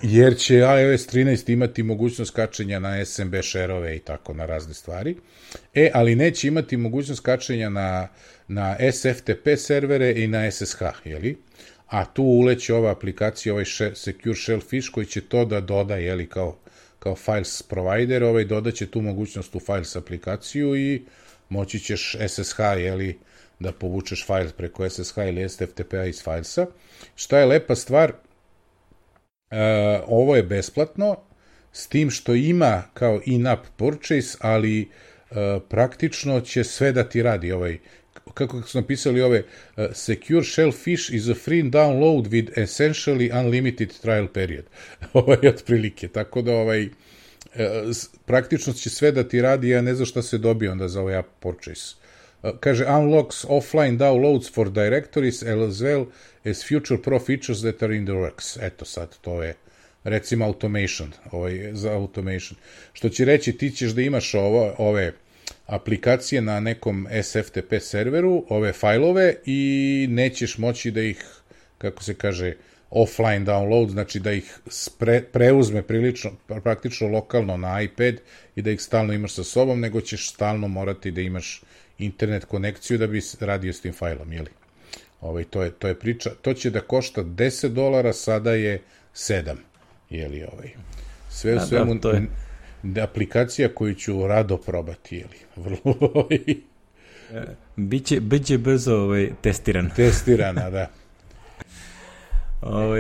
jer će iOS 13 imati mogućnost kačenja na SMB share-ove i tako na razne stvari, ali neće imati mogućnost kačenja na SFTP servere i na SSH, a tu uleće ova aplikacija, Secure Shellfish, koji će to da doda, kao Files provider, dodaće tu mogućnost u Files aplikaciju i moći ćeš SSH, da povučeš file preko SSH ili SFTP-a iz Filesa. Šta je lepa stvar? Ovo je besplatno, s tim što ima kao in-app purchase, ali praktično će sve da ti radi kako su napisali Secure Shellfish is a free download with essentially unlimited trial period. Otprilike, tako da praktično će sve da ti radi, ja ne znam šta se dobije onda za ovaj app purchase. Kaže, unlocks offline downloads for directories as well as future pro features that are in the works. Eto sad, to je recimo automation, za automation. Što će reći, ti ćeš da imaš ove aplikacije na nekom SFTP serveru, ove fajlove, i nećeš moći da ih, kako se kaže, offline download, znači da ih preuzme praktično lokalno na iPad i da ih stalno imaš sa sobom, nego ćeš stalno morati da imaš internet konekciju da bi radio s tim fajlom, jeli? To je priča. To će da košta $10, sada je 7, jeli? Sve u svemu aplikacija koju ću rado probati, jeli? Vrlo Biće brzo testirana, da.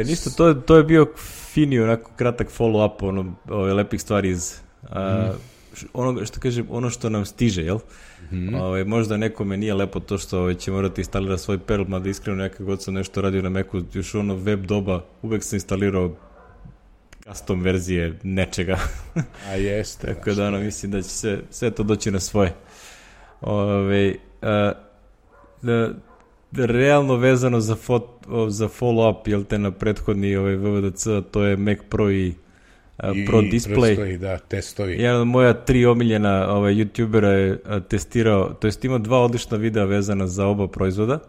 Ništa, to je bio fini, onako kratak follow-up lepih stvari iz ono što kažem, ono što nam stiže, jel? Možda nekome nije lepo to što će morati instalirati svoj Perl, mada iskreno nekako god sam nešto radio na Macu, još web doba, uvek sam instalirao custom verzije nečega. A jeste. Tako da mislim da će sve to doći na svoje. Realno vezano za follow-up, jel te, na prethodni VVDC, to je Mac Pro i Pro Display. Da, testovi. Jedan od moja 3 omiljena youtubera je testirao, to jest imao 2 odlična videa vezana za oba proizvoda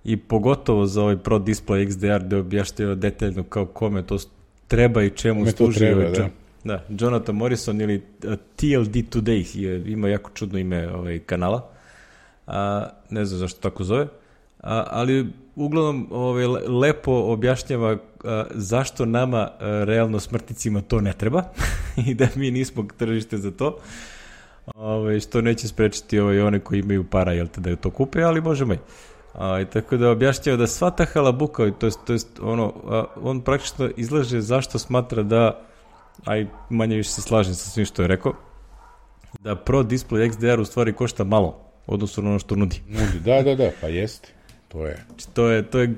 i pogotovo za ovaj Pro Display XDR gde objašnjava detaljno kao kome to treba i čemu služi. Da, Jonathan Morrison ili TLD Today ima jako čudno ime kanala. Ne znam zašto tako zove. Ali uglavnom lepo objašnjava zašto nama realno smrtnicima to ne treba i da mi nismo tržište za to, što neće sprečiti one koji imaju para, jel te, da to kupe, ali možemo i. Tako da objašnjava da sva ta halabuka, to jest on praktično izlaže zašto smatra da, manje više se slažem sa svim što je rekao, da Pro Display XDR u stvari košta malo odnosno na ono što nudi. Da, pa jeste.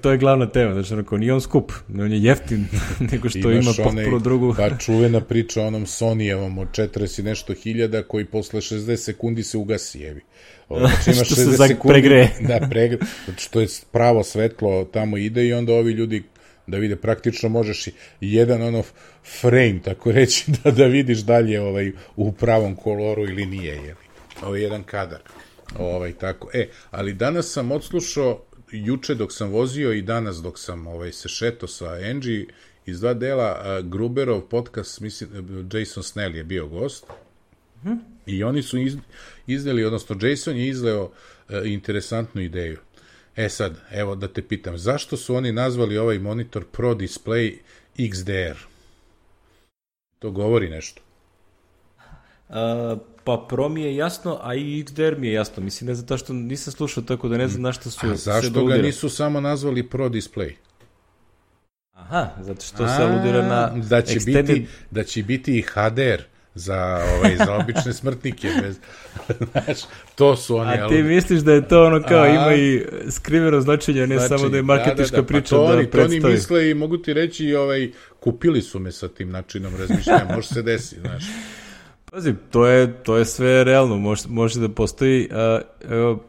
To je glavna tema, znači nije on skup, on je jeftin, nego što ima potpuno drugu. Pa čuvena priča o onom Sony-evom od 40 i nešto hiljada koji posle 60 sekundi se ugasi, jevi. Znači ima 60 sekundi, pregreje. Da, pregreje, znači to je pravo svetlo tamo ide i onda ovi ljudi da vide, praktično možeš jedan frame, tako reći, da vidiš dalje u pravom koloru ili nije, jevi. Jedan kadar. Tako. Ali danas sam odslušao, juče dok sam vozio i danas dok sam se šeto sa Angie, iz 2 dela Gruberov podcast, mislim, Jason Snell je bio gost, i oni su izneli, odnosno Jason je izleo interesantnu ideju. Sad, evo da te pitam, zašto su oni nazvali ovaj monitor Pro Display XDR? To govori nešto. Pa Pro mi je jasno, a i XDR mi je jasno. Mislim, ne zato što nisam slušao, tako da ne znam na što su... A zašto ga nisu samo nazvali Pro Display? Aha, zato što se aludira na da će biti i HDR za obične smrtnike. Znaš, to su oni... A ti misliš da je to kao ima i skriveno značenje, ne samo da je marketička priča da predstavi. To oni misle i mogu ti reći, kupili su me sa tim načinom razmišljanja, može se desiti, znaš. Pazi, to je sve realno, može da postoji,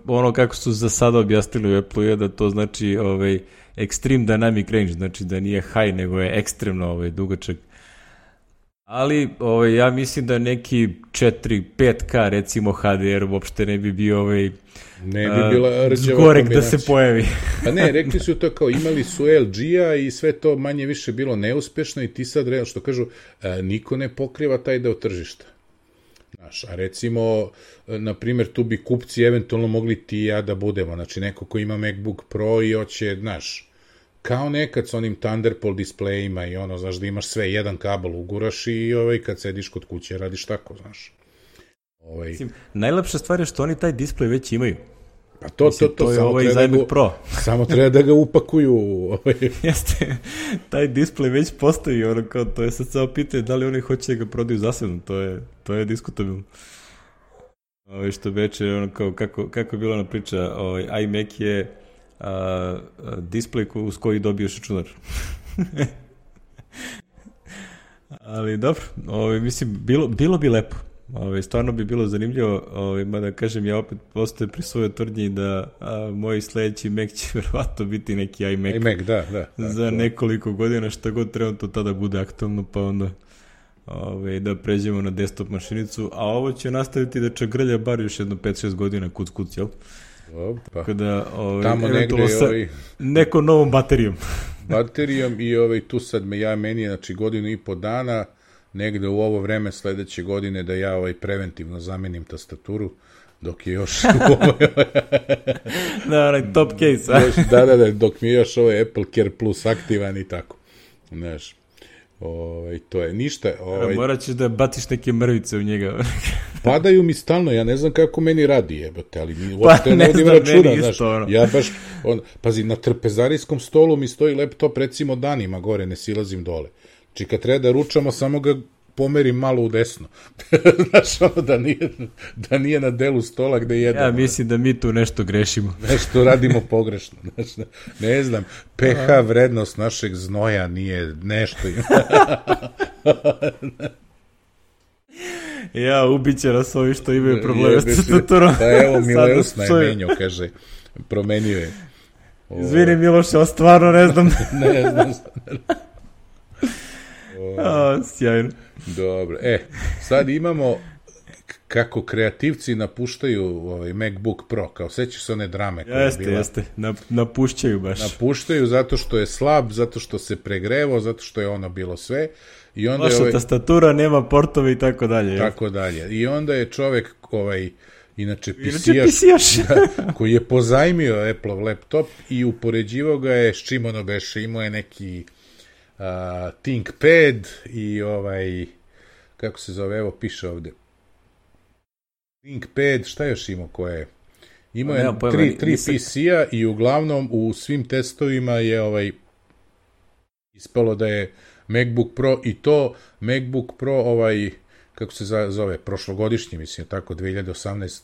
ono kako su za sada objasnili u Apple je da to znači extreme dynamic range, znači da nije high, nego je ekstremno dugačak. Ali ja mislim da neki 4-5K recimo HDR uopšte ne bi bio ne bi bila zgorek da se pojavi. Pa ne, rekli su to kao imali su LG-a i sve to manje više bilo neuspešno i ti sad, što kažu, niko ne pokriva taj deo tržišta. Znaš, a recimo, na primjer, tu bi kupci eventualno mogli ti i ja da budemo, znači neko ko ima MacBook Pro i hoće, znaš, kao nekad s onim Thunderbolt displejima i znaš, da imaš sve, jedan kabel uguraš i kad sediš kod kuće radiš tako, znaš. Najlepša stvar je što oni taj displej već imaju. Pa to je ovaj za iMac Pro. Samo treba da ga upakuju. Jeste, taj display već postoji, kao, to je sad samo pitanje da li oni hoće da ga prodaju zasebno, to je diskutabilno. Što beče, kao, kako je bila ona priča, iMac je display uz koji dobiješ računar. Ali dobro, mislim, bilo bi lepo. Stvarno bi bilo zanimljivo, mada kažem, ja opet postoje pri svojoj tvrdnji da moj sledeći Mac će verovatno biti neki iMac. iMac, da. Za nekoliko godina, šta god trenutno tada bude aktualno, pa onda da pređemo na desktop mašinicu, a ovo će nastaviti da čagrlja bar još jedno 5-6 godina kuc, jel? Opa. Kada, tamo negde sa nekom novom baterijom. Baterijom i tu sad meni je, znači, 1.5 dana, negde u ovo vreme sledeće godine da ja preventivno zamenim tastaturu, dok je još da, top case. Da, dok mi je još Apple Care Plus aktivan i tako. Znaš, to je ništa. Morat ćeš da baciš neke mrvice u njega. Padaju mi stalno, ja ne znam kako meni radi, jebate, ali mi uopšte ne vodim računa, znaš, ja baš, pazi, na trpezarijskom stolu mi stoji laptop, recimo, danima gore, ne silazim dole. Znači, kad treba da ručamo, samo ga pomerim malo u desno. Znaš, da nije na delu stola gde jedemo. Ja mislim da mi tu nešto grešimo. Nešto radimo pogrešno. Znaš, ne znam, pH vrednost našeg znoja nije nešto. Ja, ubiće nas ovi što imaju probleme s tastaturom. Pa evo, Mileus najmenio, kaže, promenio je. Izvini, Miloše, stvarno ne znam. Ne znam. Sjajno. Dobro, sad imamo kako kreativci napuštaju MacBook Pro, kao sećaš se one drame koja je bila. Jeste, napuštaju baš. Napuštaju zato što je slab, zato što se pregrevo, zato što je ono bilo sve. I onda loša tastatura, nema portove i tako dalje. Tako dalje. I onda je čovek inače PC-jaš koji je pozajmio Apple-ov laptop i upoređivao ga je s čim ono beše, imao je neki ThinkPad i kako se zove, evo piše ovde ThinkPad, šta još imao koje je? Imao je tri PC-a i uglavnom u svim testovima je ispalo da je MacBook Pro i to MacBook Pro kako se zove, prošlogodišnji, mislim, tako 2018.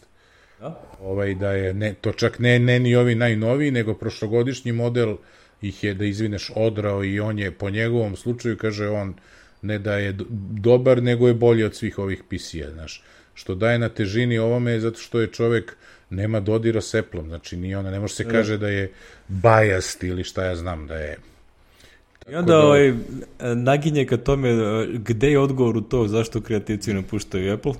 Da je, to čak ne ni ovi najnoviji, nego prošlogodišnji model ih je, da izvineš, odrao i on je, po njegovom slučaju, kaže on, ne da je dobar, nego je bolji od svih ovih PC-a, znaš. Što daje na težini ovome, zato što je čovek, nema dodira s Apple-om, znači ne može se kaže da je biased ili šta ja znam da je. I onda naginje ka tome gde je odgovor u to zašto kreativci napuštaju Apple.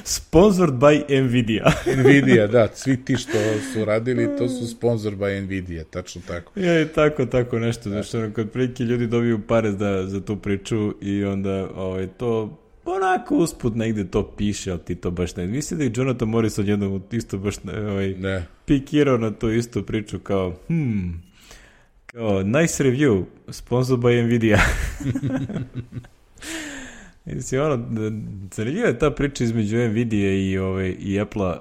Sponsored by Nvidia. Nvidia, da, svi ti što su radili, to su sponsored by Nvidia, tačno tako. Ja, i tako nešto, znači kad prilike ljudi dobiju pare za tu priču i onda to onako usput negde to piše, ali ti to baš ne. Mislim da je Jonathan Morris odjednom isto baš pikirao na tu istu priču kao nice review, sponsored by Nvidia. Zanimljiva je ta priča između Nvidia i Apple-a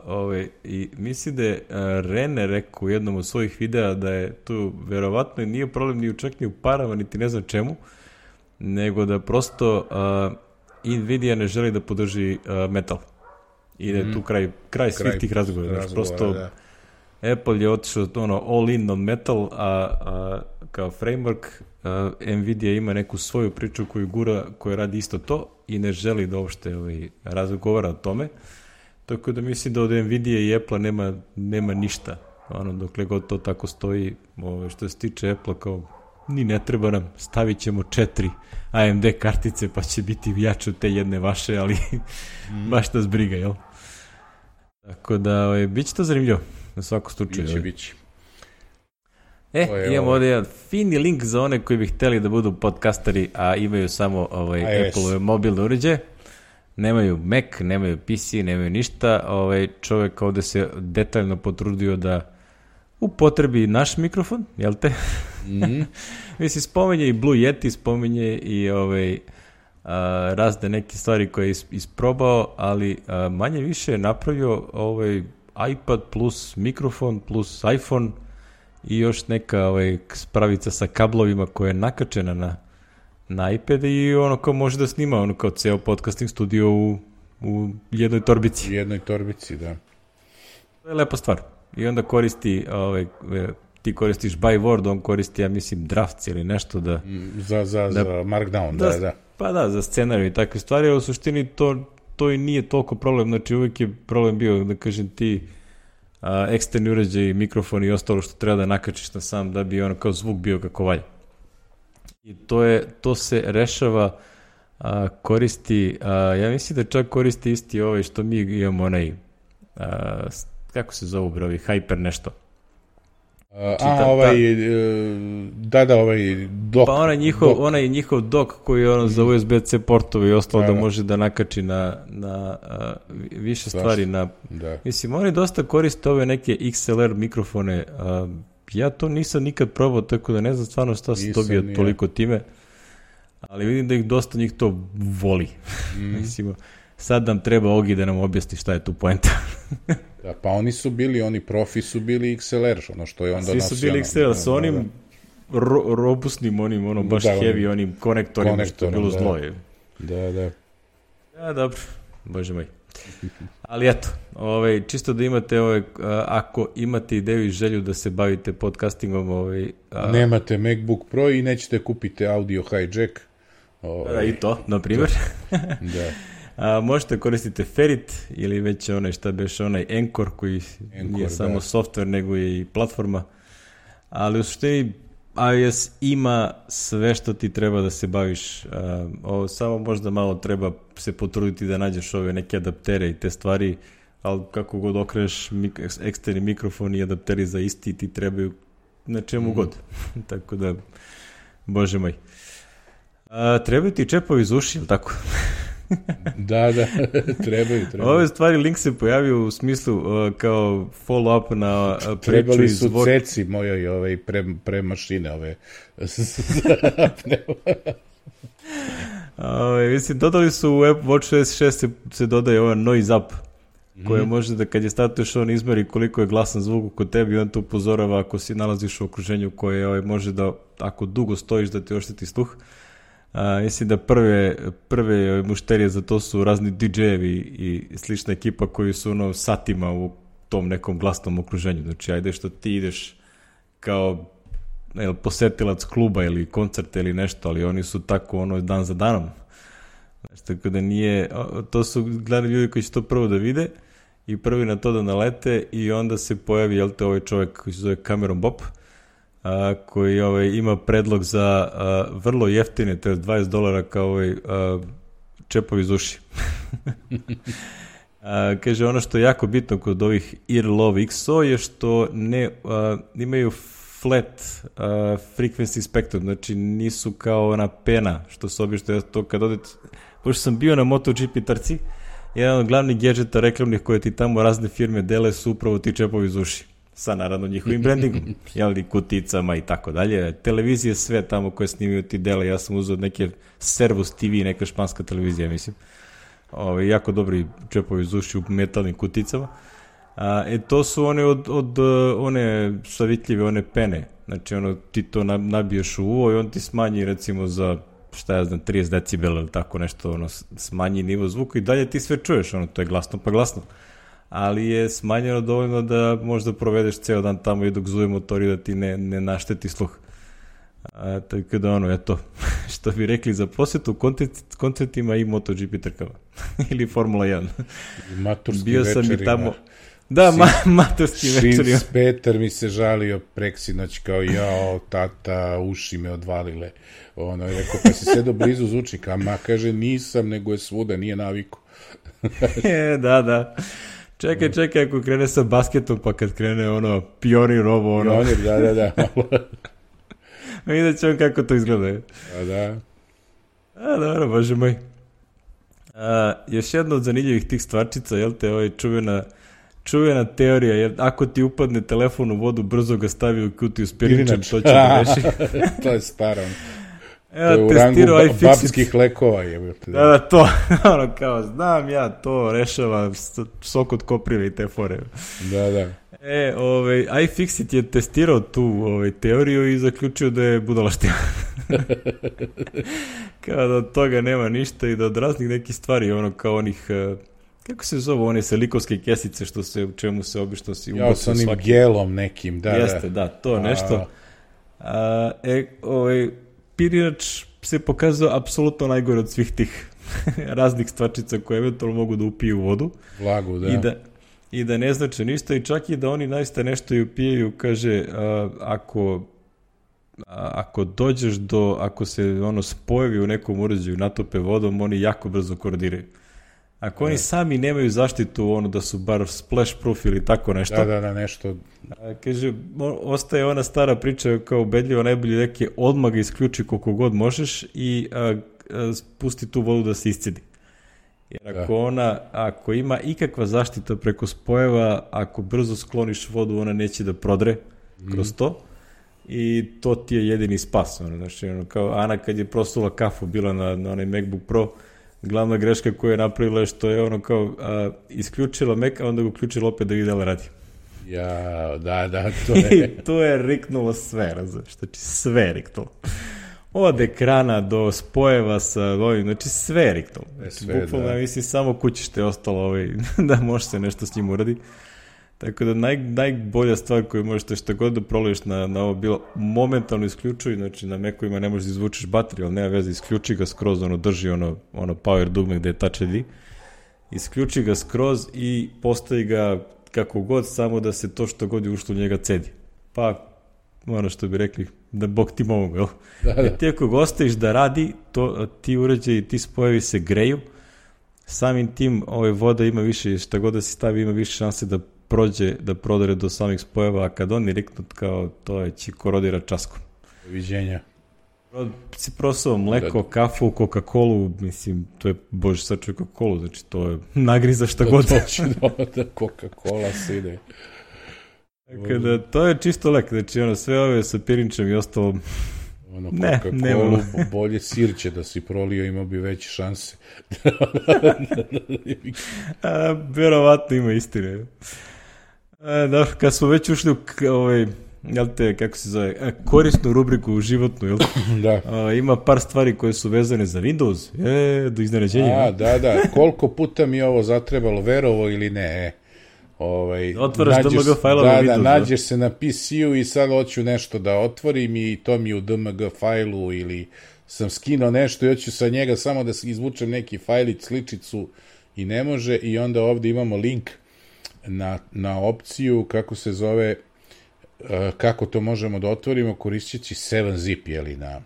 i mislim da je Rene rekao u jednom od svojih videa da je tu verovatno nije problem ni čak ni u parama, niti ne znam čemu, nego da prosto Nvidia ne želi da podrži metal. I da je tu kraj svih tih razgovora. Prosto da. Apple je otišao all in on metal, a kao framework Nvidia ima neku svoju priču koju gura, koja radi isto to i ne želi da uopšte razgovara o tome. Tako da mislim da od Nvidia i Apple nema ništa. Dokle god to tako stoji, što se tiče Apple, kao ni ne treba nam, stavit ćemo 4 AMD kartice pa će biti jače od te jedne vaše, ali baš nas briga, jel? Tako da, bit će to zanimljivo, na svakom slučaju. Biće. Imamo ovdje jedan fini link za one koji bi hteli da budu podcasteri, a imaju samo Apple mobilne uređaje. Nemaju Mac, nemaju PC, nemaju ništa. Čovjek ovdje se detaljno potrudio da upotrebi naš mikrofon, jel te? Mislim, spominje i Blue Yeti, spominje i razne neke stvari koje je isprobao, ali manje više je napravio iPad plus mikrofon plus iPhone i još neka spravica sa kablovima koja je nakačena na iPad i ono kao može da snima ono kao ceo podcasting studio u jednoj torbici. U jednoj torbici, da. To je lepa stvar. I onda koristi, ti koristiš by Word, on koristi, ja mislim, drafts ili nešto da... Za Markdown, da. Pa da, za scenariju i takve stvari, a u suštini to i nije toliko problem, znači uvijek je problem bio, da kažem ti, eksterni uređaj, mikrofon i ostalo što treba da nakačiš na sam da bi ono kao zvuk bio kako valja. I to se rešava, koristi, ja mislim da čak koristi isti što mi imamo onaj, kako se zove brovi, Hyper nešto. Dock. Pa onaj njihov dock koji je za USB-C portove i ostalo da može da nakači na više stvari. Mislim, oni dosta koriste ove neke XLR mikrofone. Ja to nisam nikad probao, tako da ne znam stvarno šta se dobija toliko time. Ali vidim da ih dosta njih to voli. Mislim, sad nam treba Ogi da nam objasni šta je tu poenta. Da, pa oni profi su bili XLR, ono što je onda nosio. Svi su bili XLR, sa onim robustnim, baš heavy, onim konektorima, što je bilo zlo. Da. Ja, dobro, bože moj. Ali eto, čisto da imate, ako imate ideju i želju da se bavite podcastingom, nemate MacBook Pro i nećete kupiti audio hijack. I to, na primjer. Da. Možete koristiti Ferrit ili već onaj Anchor koji nije samo software nego je i platforma, ali u suštini iOS ima sve što ti treba da se baviš, samo možda malo treba se potruditi da nađeš ove neke adaptere i te stvari, ali kako god okreneš eksterni mikrofon i adapteri za isti ti trebaju na čemu god, tako da, bože moj. Trebaju ti čepovi iz uši, ili tako? Da, trebaju. Ove stvari, link se pojavio u smislu kao follow-up na priču iz... Trebali su ceci mojoj pre mašine ove. Mislim, dodali su u WatchOS 6 se dodaje ova noise up, koja može da kad je statuješ on izmeri koliko je glasan zvuk kod tebi i on te upozorava ako si nalaziš u okruženju koje može da, ako dugo stojiš, da ti ošteti sluh. Mislim da prve mušterije za to su razni DJ-evi i slična ekipa koji su satima u tom nekom glasnom okruženju. Znači, ajde što ti ideš kao posetilac kluba ili koncerta ili nešto, ali oni su tako dan za danom. Znači, tako da nije, to su gledali ljudi koji će to prvo da vide i prvi na to da nalete i onda se pojavi ovaj čovjek koji se zove Cameron Bob, koji ima predlog za vrlo jeftine, to je $20 kao čepovi iz uši. Kaže, ono što je jako bitno kod ovih Earlove XO je što ne imaju flat frequency spectrum, znači nisu kao ona pena, što se obično to kad odete, pošto sam bio na MotoGP trci, jedan od glavnih gadžeta reklamnih koje ti tamo razne firme dele su upravo ti čepovi iz uši. Sa naravno njihovim brandingom, kuticama i tako dalje. Televizije sve tamo koje snimaju ti dele, ja sam uzeo neke Servus TV, neka španska televizija, mislim. Jako dobri čepovi iz uši u metalnim kuticama. To su one one savitljive, one pene. Znači, ti to nabiješ u uvo i on ti smanji recimo za, 30 decibela ili tako nešto, smanji nivo zvuka i dalje ti sve čuješ, to je glasno pa glasno. Ali je smanjeno dovoljno da možda provedeš ceo dan tamo i dok zuje motor i da ti ne našteti sluh. Tako da eto, što bi rekli za posjetu koncertima i MotoGP trkama. Ili Formula 1. Maturski bio sam večerima. I tamo. Da, maturski večerima. Šins Peter mi se žalio preksinoć kao tata, uši me odvalile. Je rekao, pa si sedo blizu zvučnika, kaže nisam, nego je svuda, nije naviku. Da. Čekaj, ako krene sa basketom, pa kad krene pionir ovo, Pionir, da. Vidjet će on kako to izgleda. Dobro, bože moj. Još jedna od zanimljivih tih stvarčica, čuvena teorija, jer ako ti upadne telefon u vodu, brzo ga stavi u kutiju s pirničem, to će da reši. To je staro. To je u rangu babskih lekova. Da, to, ono kao, znam ja, to rešava sok od koprive i te fore. Da. iFixit je testirao tu teoriju i zaključio da je budalaština. Kao da od toga nema ništa i da od raznih nekih stvari, ono kao onih, kako se zove, one selikovske kesice što se, u čemu se obično si ubacio svaki. Ja, sa onim gelom nekim, da. Jeste, da, to nešto. Pirinač se pokazao apsolutno najgore od svih tih raznih stvačica koje eventualno mogu da upiju vodu. Vlagu, da. I da ne znače ništa i čak i da oni naista nešto i upijaju, kaže, ako dođeš ako se ono spojevi u nekom uređaju natope vodom, oni jako brzo korodiraju. Ako oni sami nemaju zaštitu, ono da su bar splash proof ili tako nešto. Da, nešto. Kaže, ostaje ona stara priča kao ubedljivo najbolje neke odmah ga isključi koliko god možeš i pusti tu vodu da se iscedi. Jer ako ima ikakva zaštita preko spojeva, ako brzo skloniš vodu, ona neće da prodre kroz to i to ti je jedini spas. Znači, kao Ana kad je prosula kafu bila na onaj MacBook Pro, glavna greška koju je napravila je što je ono kao isključila Mac, a onda ga uključila opet da vidi da li radi. Ja, da, to je. I to je riknulo sve, razumiješ, znači sve je riknulo. Od ekrana do spojeva sa ovim, znači sve je riknulo. Znači, bukvalno, mislim, samo kućište je ostalo da može se nešto s njim uradi. Tako da najbolja stvar koju možete šta god da proliješ na ovo bilo, momentalno isključuj, znači na Macu-ima ne možeš da izvučeš bateriju, ali nema veze, isključi ga skroz, drži ono power dugme gde je Touch ID, isključi ga skroz i postavi ga kako god, samo da se to što god je ušlo u njega cedi. Pa, ono što bi rekli, da Bog ti mogu, jel? Da. Ti ako ga ostaviš da radi, ti uređaji, ti spojevi se greju, samim tim voda ima više, šta god da si stavi, ima više šanse da prodore do samih spojeva, a kad oni riknut kao to je će korodira časkom. Viđenja. Si prosao mleko, kafu, Coca-Colu, mislim, to je, bože, sačuj Coca-Colu, znači to je nagriza šta god. Točno, da Coca-Cola se ide. Tako da, to je čisto lek, znači sve ove sa pirinčem i ostalo, Coca-Cola, bolje sirće da si prolio, imao bi veće šanse. Verovatno ima istine. Da, kad smo već ušli u kako se zove, korisnu rubriku životnu, jel? Da. Ima par stvari koje su vezane za Windows, do iznenađenja. Da, koliko puta mi ovo zatrebalo, verovo ili ne, otvaraš DMG fajlove Windows. Da, nađeš se na PC-u i sad hoću nešto da otvorim i to mi u DMG fajlu ili sam skinuo nešto i hoću sa njega samo da izvučem neki fajlić, sličicu i ne može i onda ovdje imamo link na opciju kako se zove, kako to možemo da otvorimo koristeći 7-zip, jeli, na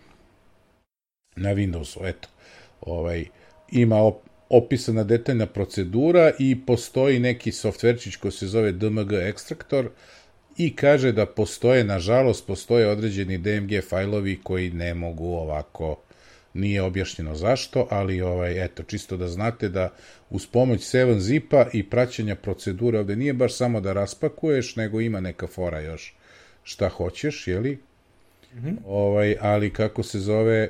Windowsu, eto. Ima opisana detaljna procedura i postoji neki softverčić koji se zove DMG ekstraktor i kaže da nažalost, postoje određeni DMG fajlovi koji ne mogu ovako, nije objašnjeno zašto, ali eto, čisto da znate da uz pomoć 7-zipa i praćenja procedure, ovde nije baš samo da raspakuješ, nego ima neka fora još šta hoćeš, jeli? Ali kako se zove,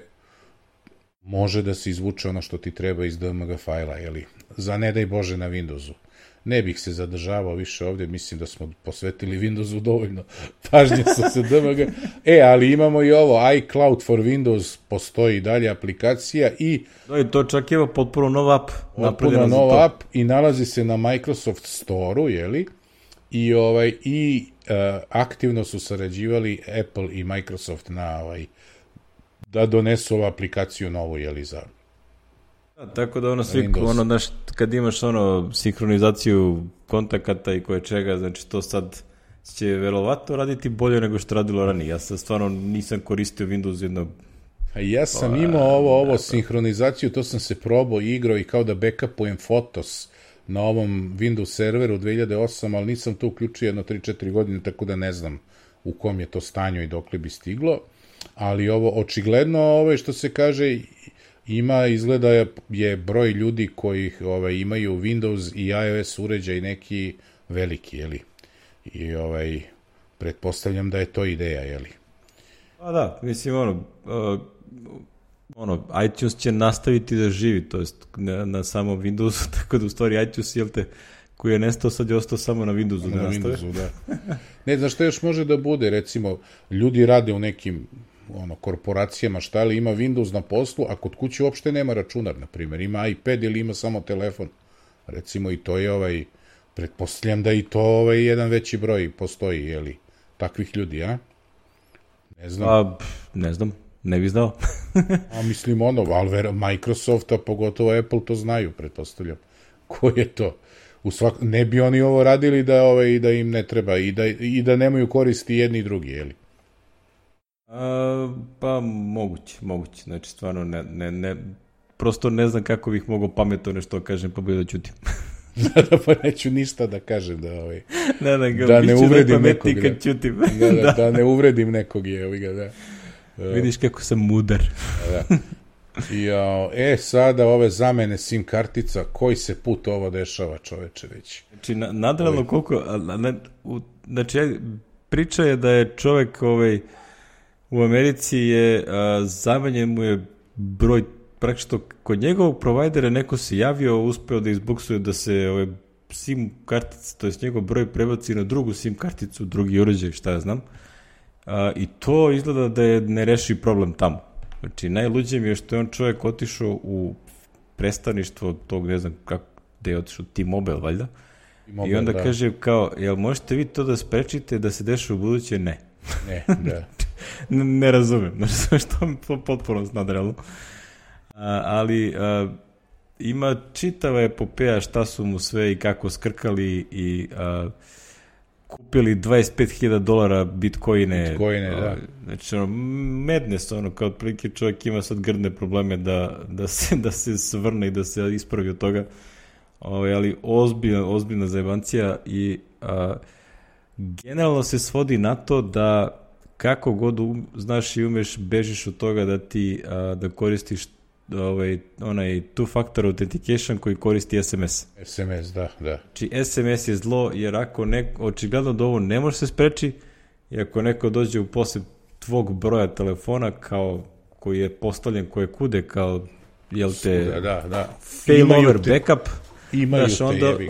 može da se izvuče ono što ti treba iz DMG fajla, jeli? Za ne daj Bože na Windowsu. Ne bih se zadržavao više ovdje, mislim da smo posvetili Windowsu dovoljno pažnje sa DMG. Ali imamo i ovo, iCloud for Windows, postoji dalje aplikacija i... To čak je potpuno nov app. Potpuno nov app i nalazi se na Microsoft Store-u, jeli? I aktivno su sarađivali Apple i Microsoft da donesu ovu aplikaciju novu, jeli, za... Tako da svi, kad imaš sinhronizaciju kontakata i koje čega, znači to sad će verovatno raditi bolje nego što radilo ranije. Ja sad stvarno nisam koristio Windows jednog... Ja sam imao ovo sinhronizaciju, to sam se probao i igrao i kao da backupujem Fotos na ovom Windows serveru 2008, ali nisam to uključio jedno 3-4 godine, tako da ne znam u kom je to stanju i dokle bi stiglo. Ali ovo, očigledno, što se kaže, izgleda je broj ljudi koji imaju Windows i iOS uređaj neki veliki, jeli? I pretpostavljam da je to ideja, jeli? Pa da, mislim, iTunes će nastaviti da živi, to jest na samom Windowsu, tako da u stvari iTunes, jel te, koji je nestao, sad je ostao samo na Windowsu da nastave. Windowsu, da. Ne, znaš što još može da bude, recimo, ljudi rade u nekim korporacijama, šta li ima Windows na poslu, a kod kuće uopšte nema računar, na primjer, ima iPad ili ima samo telefon. Recimo i to je pretpostavljam da i to jedan veći broj postoji, jeli, takvih ljudi, a? Ne znam. Ne znam, ne bi znao. A mislim ali Microsoft, a pogotovo Apple to znaju, pretpostavljam. Ko je to? Ne bi oni ovo radili da im ne treba i da nemaju koristi jedni i drugi, jeli? Pa moguće. Znači, stvarno ne prosto ne znam kako bih mogao pametno nešto kažem, pa bolje da ćutim. Pa neću ništa da kažem da ne uvredim nekog. Da ne uvredim nekog, da. Vidiš kako sam mudar. Da. Sada ove zamene SIM kartica, koji se put ovo dešava, čoveče, već? Znači, nadrealno koliko, znači, priča je da je čovek u Americi je zamenjen mu je broj, praktično kod njegovog provajdera neko se javio, uspeo da izbuksuje da se SIM kartica, to je njegov broj prebaci na drugu SIM karticu, drugi uređaj, šta ja znam. I to izgleda da je nerešiv problem tamo. Znači, najluđe mi je što je on čovjek otišao u predstavništvo tog, ne znam kako, gde je otišao, T-Mobile, valjda. I onda kaže kao, jel možete vi to da sprečite da se deša u buduće? Ne. Ne, da. Ne razumem, znači što mi potpuno nadrealno. Ali ima čitava epopeja šta su mu sve i kako skrkali i kupili $25,000 bitcoine. Bitcoine, da. Znači, madness, kao otprilike čovjek ima sad grdne probleme da se svrne i da se ispravi od toga. Ali ozbiljna zajebancija i generalno se svodi na to da kako god znaš i umeš, bežiš od toga da koristiš onaj two-factor authentication koji koristi SMS. SMS, da. Znači, SMS je zlo, jer ako očigledno da ovo ne može se spreči, i ako neko dođe u posjed tvog broja telefona kao koji je postavljen koje kude kao failover backup,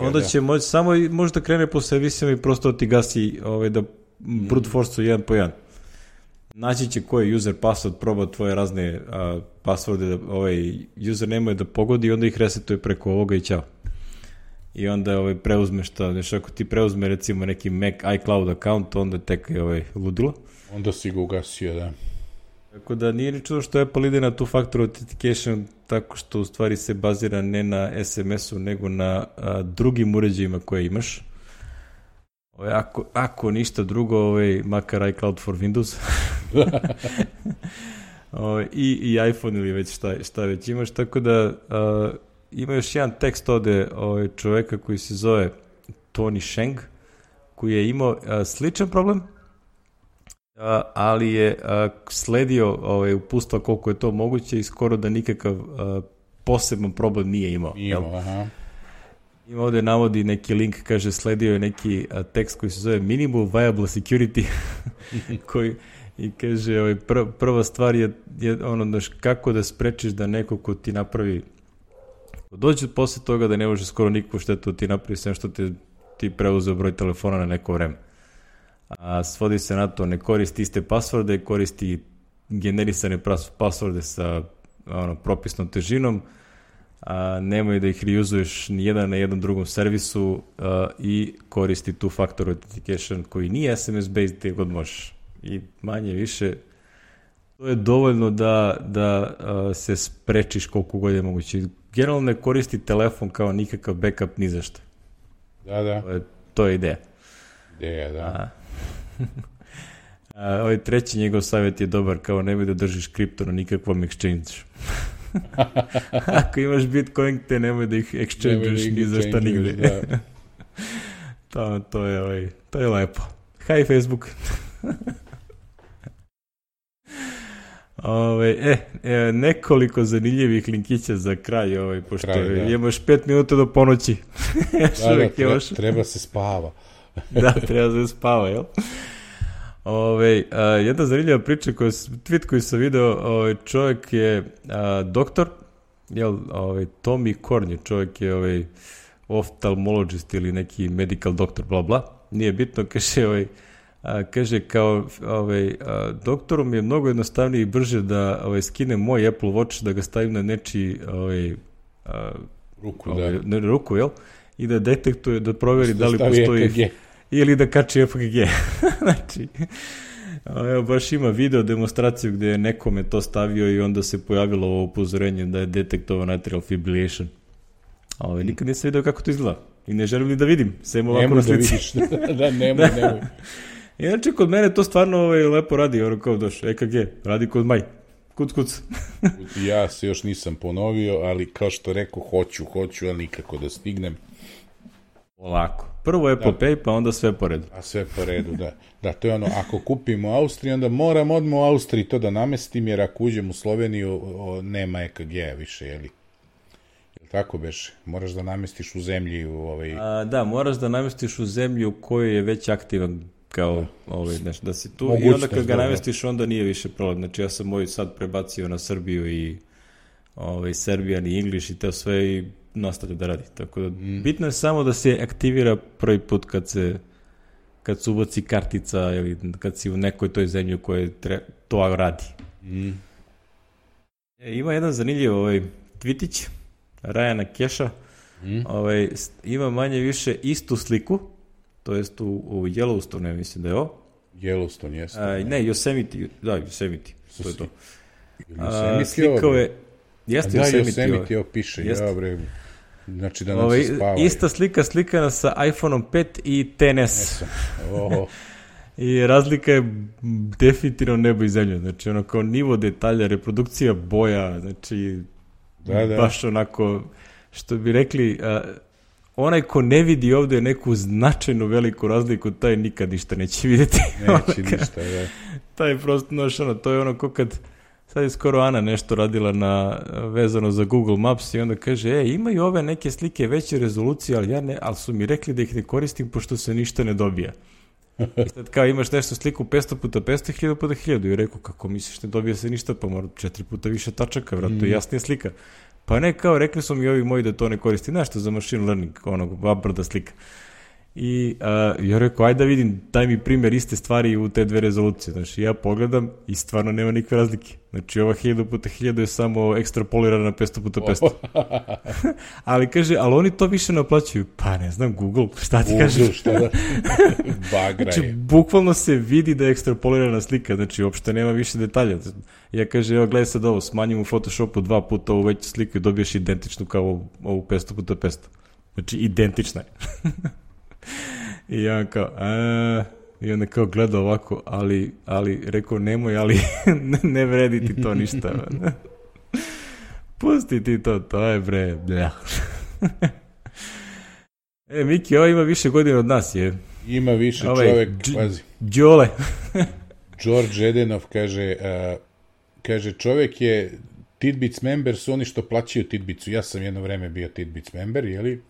onda će moći samo možda krene po servisima i prosto ti gasi da brute force jedan po jedan. Naći će koji je user password, proba tvoje razne passworde, user nemoj da pogodi i onda ih resetuje preko ovoga i ćao. I onda preuzme ako ti preuzme recimo neki Mac iCloud account, onda tek je ludilo. Onda si ga ugasio, da. Tako da nije ni čudo što Apple ide na two-factor authentication tako što u stvari se bazira ne na SMS-u nego na drugim uređajima koje imaš. Ako ništa drugo, makar iCloud for Windows i iPhone ili već šta već imaš, tako da ima još jedan tekst ovde čoveka koji se zove Tony Sheng, koji je imao sličan problem, ali je sledio upustva koliko je to moguće i skoro da nikakav poseban problem nije imao. Aha. Ima ovde navodi neki link, kaže sledio je neki tekst koji se zove Minimal Viable Security koji i kaže prva stvar je kako da sprečiš da neko ko ti napravi dođe posle toga da ne može skoro nikakvu štetu ti napravi sve što ti preuzeo broj telefona na neko vreme. A svodi se na to, ne koristi iste pasvorde, koristi generisane pasvorde sa propisnom težinom, nemoj da ih reuzuješ ni jedan na jednom drugom servisu i koristi two-factor authentication koji nije SMS-based gdje god možeš. I manje više to je dovoljno da se sprečiš koliko god je moguće. Generalno ne koristi telefon kao nikakav backup ni zašto. Da. To je ideja. Ideja, da. Treći njegov savjet je dobar, kao nemoj da držiš kripto na nikakvom exchange. Ako imaš Bitcoin, te nemoj da ih exchange-už ni za šta nigde. To je lepo. Hi Facebook. Nekoliko zanimljivih linkića za kraj, pošto imaš 5 minuta do ponoći. Treba se spava. Da, treba se spava, jel? Jedna zanimljiva priča, tweet koji sam video, čovjek je doktor, Tommy Korn je čovjek je oftalmologist ili neki medical doktor, bla bla, nije bitno, kaže kao doktoru mi je mnogo jednostavnije i brže da skinem moj Apple Watch, da ga stavim na nečiji ruku, jel? I da detektuje, da proveri da li postoji EKG. Ili da kači EKG. Znači, baš ima video demonstraciju gde je nekome to stavio i onda se pojavilo ovo upozorenje da je detektovan atrial fibrillation. Nikad nisam video kako to izgleda. I ne želim ni da vidim. Sem ovako na slici. Nemoj. Inače, kod mene to stvarno lepo radi, kao doš, EKG, radi kod maj. Kuc. Ja se još nisam ponovio, ali kao što rekao, hoću, ali nikako da stignem. Ovako. Prvo Apple Pay, pa onda sve po redu. A sve po redu, da. Da, to je ono, ako kupimo u Austriji, onda moram odmah u Austriji to da namestim, jer ako uđem u Sloveniju, nema EKG-a više, jeli? Jel tako beše? Moraš da namestiš u zemlji Da, moraš da namestiš u zemlji u kojoj je već aktivan kao nešto, da si tu i onda kad ga namestiš, onda nije više problem. Znači, ja sam moj sad prebacio na Srbiju i Serbian i English i to sve i nastavlja da radi. Tako da, bitno je samo da se aktivira prvi put kad se ubaci kartica ili kad si u nekoj toj zemlji u kojoj to radi. Ima jedan zanimljiv tvitić Ryana Keša. Ima manje više istu sliku, to jest u Yellowstone, mislim da je ovo. Yellowstone, jeste. Ne, Yosemite, to je to. Slikao je... Jeste Yosemite, ovo piše, znači da nam se spavaju. Ista slikana sa iPhone-om 5 i XS. I razlika je definitivno nebo i zemlja. Znači, ono kao nivo detalja, reprodukcija boja, znači, baš onako, što bi rekli, onaj ko ne vidi ovde neku značajnu veliku razliku, taj nikad ništa neće vidjeti. Neće ništa, da. Taj prosto, to je ono ko kad... Sad je skoro Ana nešto radila vezano za Google Maps i onda kaže, imaju ove neke slike veće rezolucije, ali su mi rekli da ih ne koristim pošto se ništa ne dobija. I sad kao imaš nešto sliku 500x500, 1000x1000 i rekao, kako misliš ne dobija se ništa, pa mora 4 puta više tačaka, vratno to je jasnija slika. Pa ne, kao rekli su mi ovi moji da to ne koristi, nešto za machine learning, vabrda slika. I ja rekao, ajde da vidim, daj mi primjer iste stvari u te dve rezolucije. Znači, ja pogledam i stvarno nema nikakve razlike. Znači, ova 1000x1000 je samo ekstrapolirana na 500x500. Ali kaže, ali oni to više naplaćuju. Pa ne znam, Google, šta ti kažeš? Šta da? Bagra je. Znači, bukvalno se vidi da je ekstrapolirana slika, znači, uopšte nema više detalja. Ja kaže, evo, gledaj sad ovo, smanjim u Photoshopu 2 puta ovu veću sliku i dobiješ identičnu kao ovu 500x500. Znači, identična je. I ja kao, i onda kao gleda ovako, ali rekao nemoj, ali ne vredi ti to ništa. Pusti ti to je bre, blja. Miki, ovo ima više godina od nas, je. Ima više čovjek, pazi. Đole. George Edenov kaže, čovjek je Tidbits member, su oni što plaćaju Tidbitsu. Ja sam jedno vreme bio Tidbits member, jeli?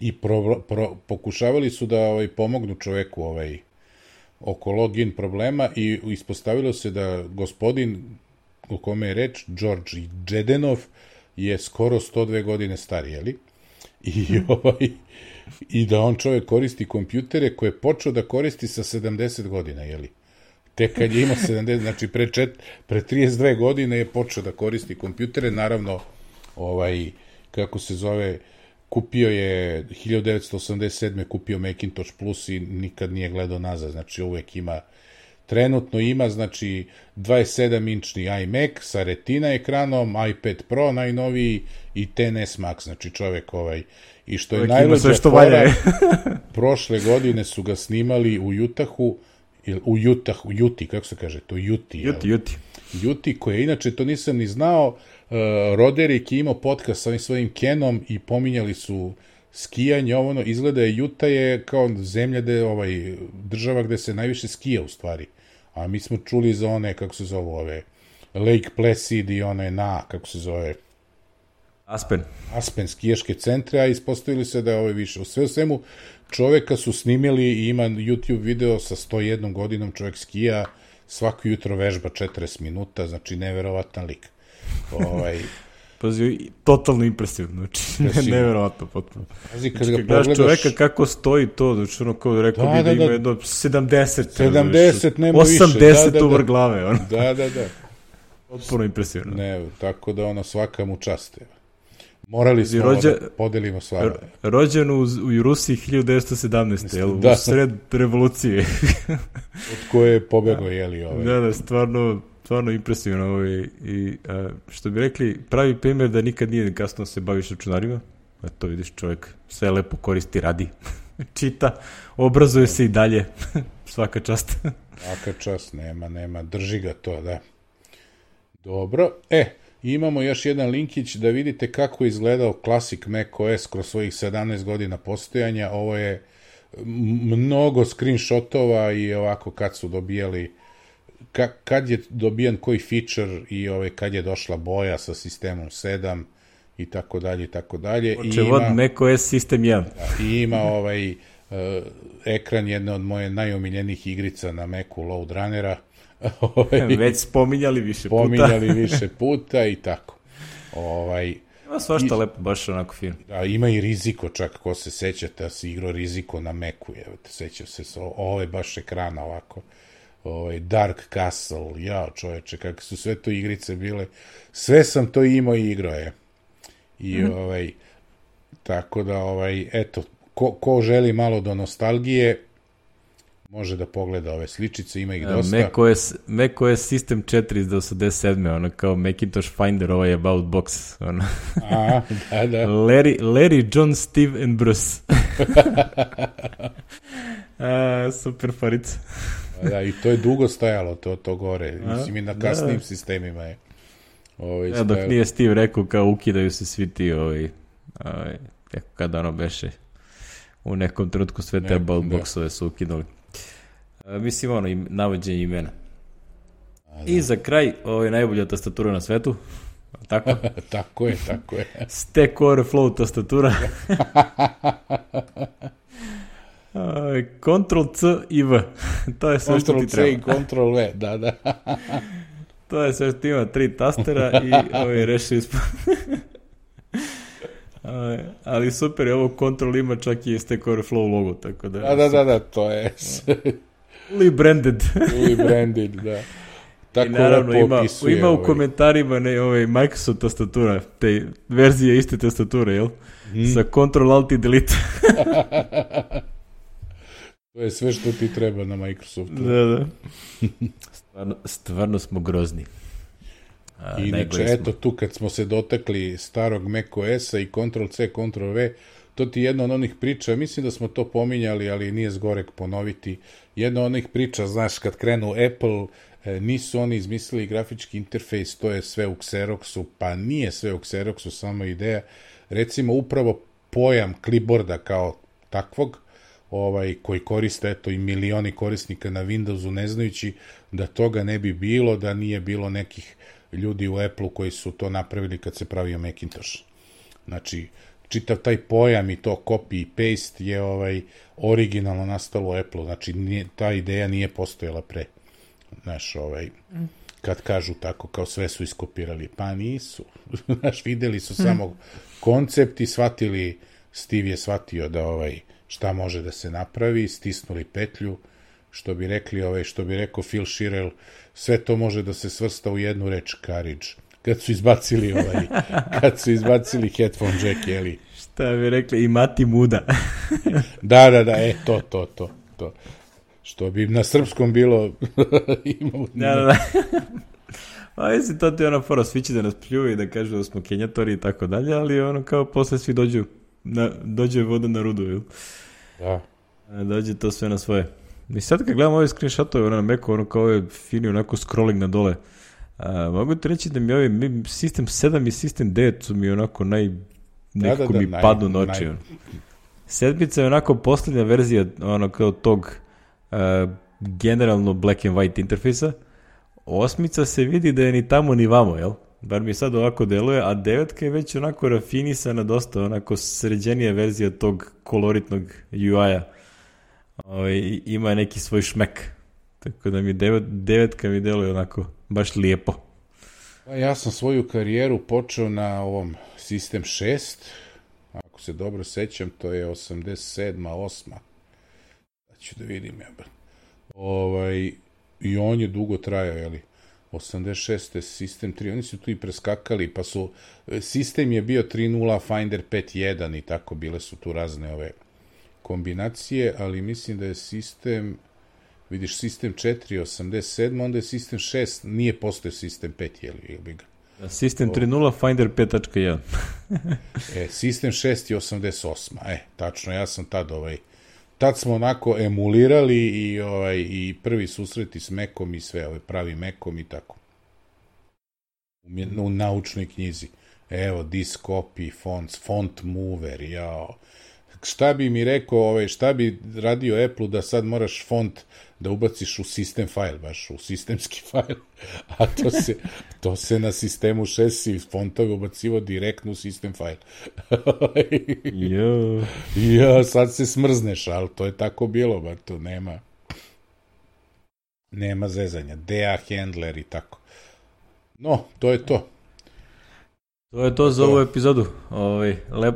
I pokušavali su da pomognu čoveku oko login problema i ispostavilo se da gospodin o kome je reč, George Jedenov, je skoro 102 godine star, jeli? I da on čovek koristi kompjutere koje je počeo da koristi sa 70 godina, jeli? Tek kad je imao 70, znači pre 32 godine je počeo da koristi kompjutere, naravno, kako se zove, kupio je 1987. kupio Macintosh Plus i nikad nije gledao nazad, znači uvek trenutno ima, znači 27-inčni iMac sa Retina ekranom, iPad Pro najnoviji i XS Max, znači čovek i što je najluđa fora, prošle godine su ga snimali u Utahu, u Juti, kako se kaže, to Juti, koje inače, to nisam ni znao, Roderick je imao podcast sa svojim Kenom i pominjali su skijanje, izgleda je Juta je kao zemlja država gde se najviše skija u stvari, a mi smo čuli za one, kako se zove, Lake Placid i kako se zove. Aspen skijaške centre, a ispostavili se da je ovo više. U sve u svemu, čoveka su snimili i ima YouTube video sa 101 godinom, čovek skija, svako jutro vežba 40 minuta, znači neverovatan lik. Pazi, totalno impresivno, znači neverovatno potpuno. Pazi, kad znači, ga pogledaš... čoveka kako stoji to, znači ono kao rekao bi da ima jedno 70, nema 80 više. 80 uvar glave, ono. Da. Potpuno impresivno. Ne, tako da ono svaka mu čast. Morali smo da podelimo stvarno. Rođen u Rusiji 1917. Jel, u sred revolucije. Od koje je pobegao, jeli Da, stvarno impresivno. I što bi rekli, pravi primjer da nikad nije kasno se baviš računarima. To vidiš, čovjek sve lepo koristi, radi, čita, obrazuje se i dalje. Svaka čast. Svaka čast, nema, drži ga to, da. Dobro, imamo još jedan linkić da vidite kako je izgledao Classic macOS kroz svojih 17 godina postojanja. Ovo je mnogo screenshotova i ovako kad su dobijali, kad je dobijan koji feature i kad je došla boja sa sistemom 7 i tako dalje, i tako dalje. Očevod macOS System 1. I ima ekran jedne od moje najomiljenijih igrica na Macu, Load Runnera. Već spominjali više puta i tako. Ima svašta lepo, baš onako film. Da, ima i Riziko, čak ko se sećate, da si igrao Riziko na Macu, sećam se, ovo je baš ekrana ovako. Dark Castle, čoveče, kakve su sve to igrice bile. Sve sam to imao i igrao je. I tako da, eto, ko želi malo do nostalgije, može da pogleda ove sličice, ima ih dosta. macOS System 4 iz 87. Ono kao Macintosh Finder, About Box. Ono. Da. Larry, John, Steve and Bruce. Super farica. Da, i to je dugo stajalo, to gore. Mislim, i na kasnim sistemima je. Dok nije Steve rekao kao ukidaju se svi ti kada ono beše u nekom trenutku sve te About Boxove su ukinuli. Mislim, navođenje imena. I za kraj, ovo je najbolja tastatura na svetu. Tako? Tako je. Stack Overflow tastatura. Ctrl-C i V. To je sve što ti treba. Ctrl-C i Ctrl-V, da. To je sve što ima 3 tastera i rešili smo. Ali super je ovo, Ctrl ima čak i Stack Overflow logo, tako da... Da, to je... Rebranded, da. Tako i naravno ima u komentarima Microsoft tastatura, te verzije iste tastature, jel? Sa Ctrl Alt i Delete. To je sve što ti treba na Microsoftu. Da. Stvarno smo grozni. Inače, eto tu kad smo se dotakli starog macOS-a i Ctrl-C, Ctrl-V, to ti jedna od onih priča, mislim da smo to pominjali, ali nije zgorek ponoviti, jedna od onih priča, znaš, kad krenu Apple, nisu oni izmislili grafički interfejs, to je sve u Xeroxu, pa nije sve u Xeroxu, samo ideja. Recimo, upravo pojam clipboarda kao takvog, koji koriste, eto, i milioni korisnika na Windowsu, ne znajući da toga ne bi bilo, da nije bilo nekih ljudi u Apple-u koji su to napravili kad se pravio Macintosh. Znači, čitav taj pojam i to copy i paste je originalno nastalo u Apple-u, znači ta ideja nije postojala pre. Znaš, kad kažu tako, kao sve su iskopirali, pa nisu. Znaš, videli su samo koncept i shvatili, Steve je shvatio da šta može da se napravi, stisnuli petlju, što bi rekao Phil Schirel, sve to može da se svrsta u jednu reč, courage. Kad su izbacili headphone jack, jeli? Šta bi rekli, imati muda. Da, to. Što bi na srpskom bilo imao... Da. Pa mislim, to ti je ona fora, svi će da nas pljuju i da kažu da smo kenjatori i tako dalje, ali kao posle svi dođe voda na rudu, jel? Da. Dođe to sve na svoje. I sad kad gledam ove screenshotove na Macu, kao je fini onako scrolling na dole, mogu ti reći da mi System 7 i System 9 su mi onako nekako mi padnu na oči. Sedmica je onako posljednja verzija kao tog generalno black and white interfejsa. Osmica se vidi da je ni tamo ni vamo, jel? bar mi sad ovako deluje, a 9 je već onako rafinisana, dosta onako sređenija verzija tog koloritnog UI-a. Ima neki svoj šmek. Tako da mi 9 mi deluje onako baš lijepo. Ja sam svoju karijeru počeo na ovom System 6, ako se dobro sećam, to je 87. 8. Ću da vidim, i on je dugo trajao, jeli? 86. System 3, oni su tu i preskakali, pa su, System je bio 3.0, Finder 5.1 i tako, bile su tu razne ove kombinacije, ali mislim da je System, vidiš, System 4 87, onda je System 6, nije postao System 5, jeli bi ga? System 3.0, Finder 5.1. System 6 je 88, tačno, ja sam tad smo onako emulirali i prvi susreti s Macom i sve, pravi Macom i tako. U naučnoj knjizi. Evo, disk copy, font mover, jao. Šta bi mi rekao, šta bi radio Apple da sad moraš font da ubaciš u system file, baš u sistemski file, a to se na sistemu 6 fontove ubacivo direktno u system file. Sad se smrzneš, ali to je tako bilo, bar to nema zezanja, DA handler i tako. No, to je to. To je to za ovu epizodu.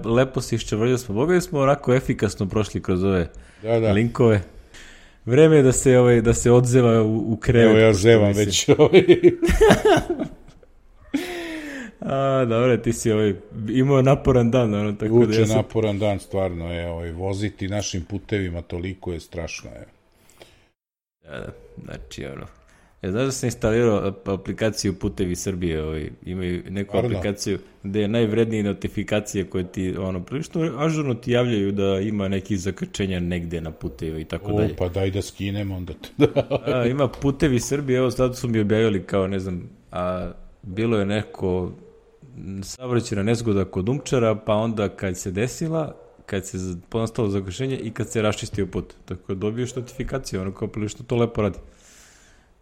Lepo si iščevrljali smo. Boga smo onako efikasno prošli kroz ove linkove. Vreme je da se odzeva u krevet. Evo ja zevam već. Dobro, ti si imao naporan dan. Uče naporan dan, stvarno. Voziti našim putevima toliko je strašno. Znači, znaš da sam instalirao aplikaciju Putevi Srbije, imaju neku aplikaciju gde je najvrednije notifikacije koje ti, prilično ažurno ti javljaju da ima neki zakačenja negde na putevi i tako dalje. Pa daj da skinem onda. Ima Putevi Srbije, evo sad su mi objavili kao, ne znam, bilo je neko saobraćajna nezgoda kod Umčara, pa onda kad se desila, kad se nastalo zakačenje i kad se raščistio put. Tako da dobiješ notifikaciju, kao prilično to lepo radi.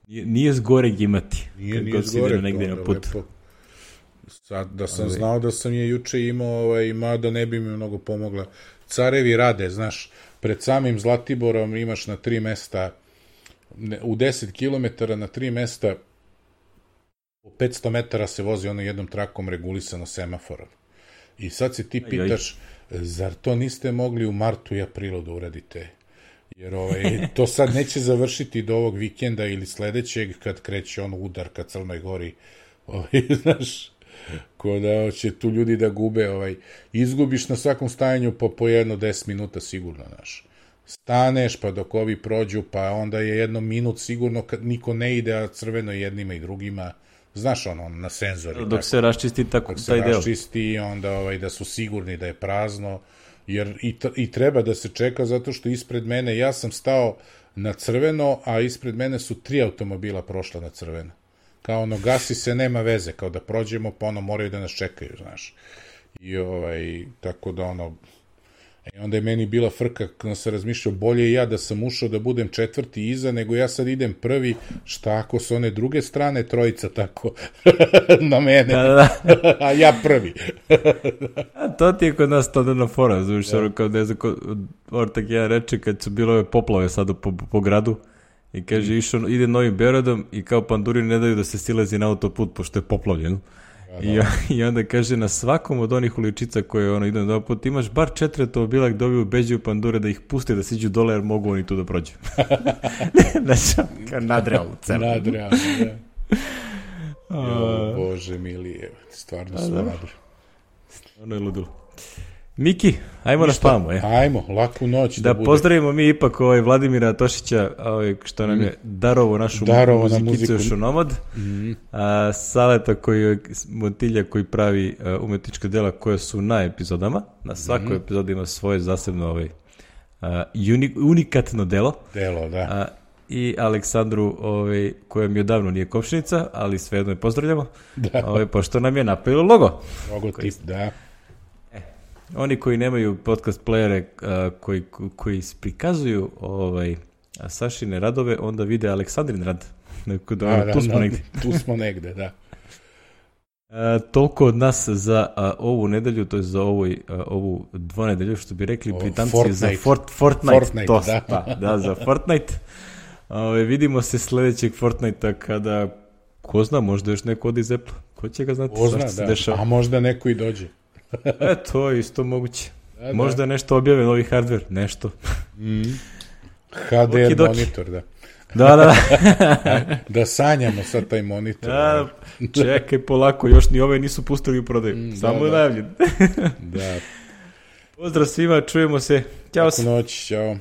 Nije zgoreg imati. Nije zgoreg, lepo. Sad, da sam znao da sam je juče imao, mada ne bi mi mnogo pomogla. Carevi rade, znaš, pred samim Zlatiborom imaš na 3 mesta, u 10 km na 3 mesta, u 500 metara se vozi jednom trakom regulisano semaforom. I sad se ti pitaš, zar to niste mogli u martu i aprilu da uradite? Jer to sad neće završiti do ovog vikenda ili sledećeg kad kreće udar ka Crnoj Gori. Znaš, ko da će tu ljudi da gube. Izgubiš na svakom stajanju po jedno 10 minuta sigurno, znaš. Staneš pa dok ovi prođu, pa onda je jedno minut sigurno kad niko ne ide, a crveno jednima i drugima. Znaš, na senzori. Dok se raščisti tako taj deo. Dok se raščisti, onda da su sigurni da je prazno. Jer i treba da se čeka zato što ispred mene, ja sam stao na crveno, a ispred mene su 3 automobila prošla na crveno. Kao gasi se, nema veze, kao da prođemo, pa moraju da nas čekaju, znaš. I tako da onda je meni bila frka, kada sam razmišljao, bolje ja da sam ušao da budem 4. iza, nego ja sad idem prvi, šta ako s one druge strane trojica tako na mene, a ja prvi. To ti je kod nas to na fora, znaš, kao ne znam, Ortak jedan reče kad su bilo ove poplave sada po gradu i kaže ide Novim Beogradom i kao panduri ne daju da se silazi na autoput pošto je poplavljeno. I onda kaže, na svakom od onih uličica koje idu na put, imaš bar 4 automobila gdje ovi ubeđuju pandure da ih puste da siđu dole jer mogu oni tu da prođu. Znači, nadrealno. Nadrealno, da. Bože mili, stvarno su nadrealno. Ono je ludilo. Miki, ajmo na spamu. Ajmo, laku noć da bude. Pozdravimo mi ipak Vladimira Tošića, što nam je darovo našu muzikicu još u Nomad. Saleta Montilja koji pravi umetnička dela koja su na epizodama. Na svakoj epizodi ima svoje zasebno unikatno delo. Delo, da. I Aleksandru, koja mi odavno nije komšinica, ali svejedno je pozdravljamo, pošto nam je napravilo logo. Logotip, da. Oni koji nemaju podcast playere koji prikazuju Sašine radove, onda vide Aleksandrin rad. Tu smo negde. Tu smo negde, da. Toliko od nas za ovu nedelju, to je za ovu dvonedelju, što bi rekli Britanci, za Fortnite. Da, za Fortnite. Vidimo se sljedećeg Fortnite-a kada, ko zna, možda još neko odi iz Apple. Ko će ga znati šta se dešava? A možda neko i dođe. To je isto moguće. Možda nešto objave, novi hardware, nešto. HDR monitor, da. Da. Da sanjamo sad taj monitor. Čekaj polako, još ni ove nisu pustili u prodaju. Samo najavljen. Da. Pozdrav svima, čujemo se. Ćao. Noć, čao.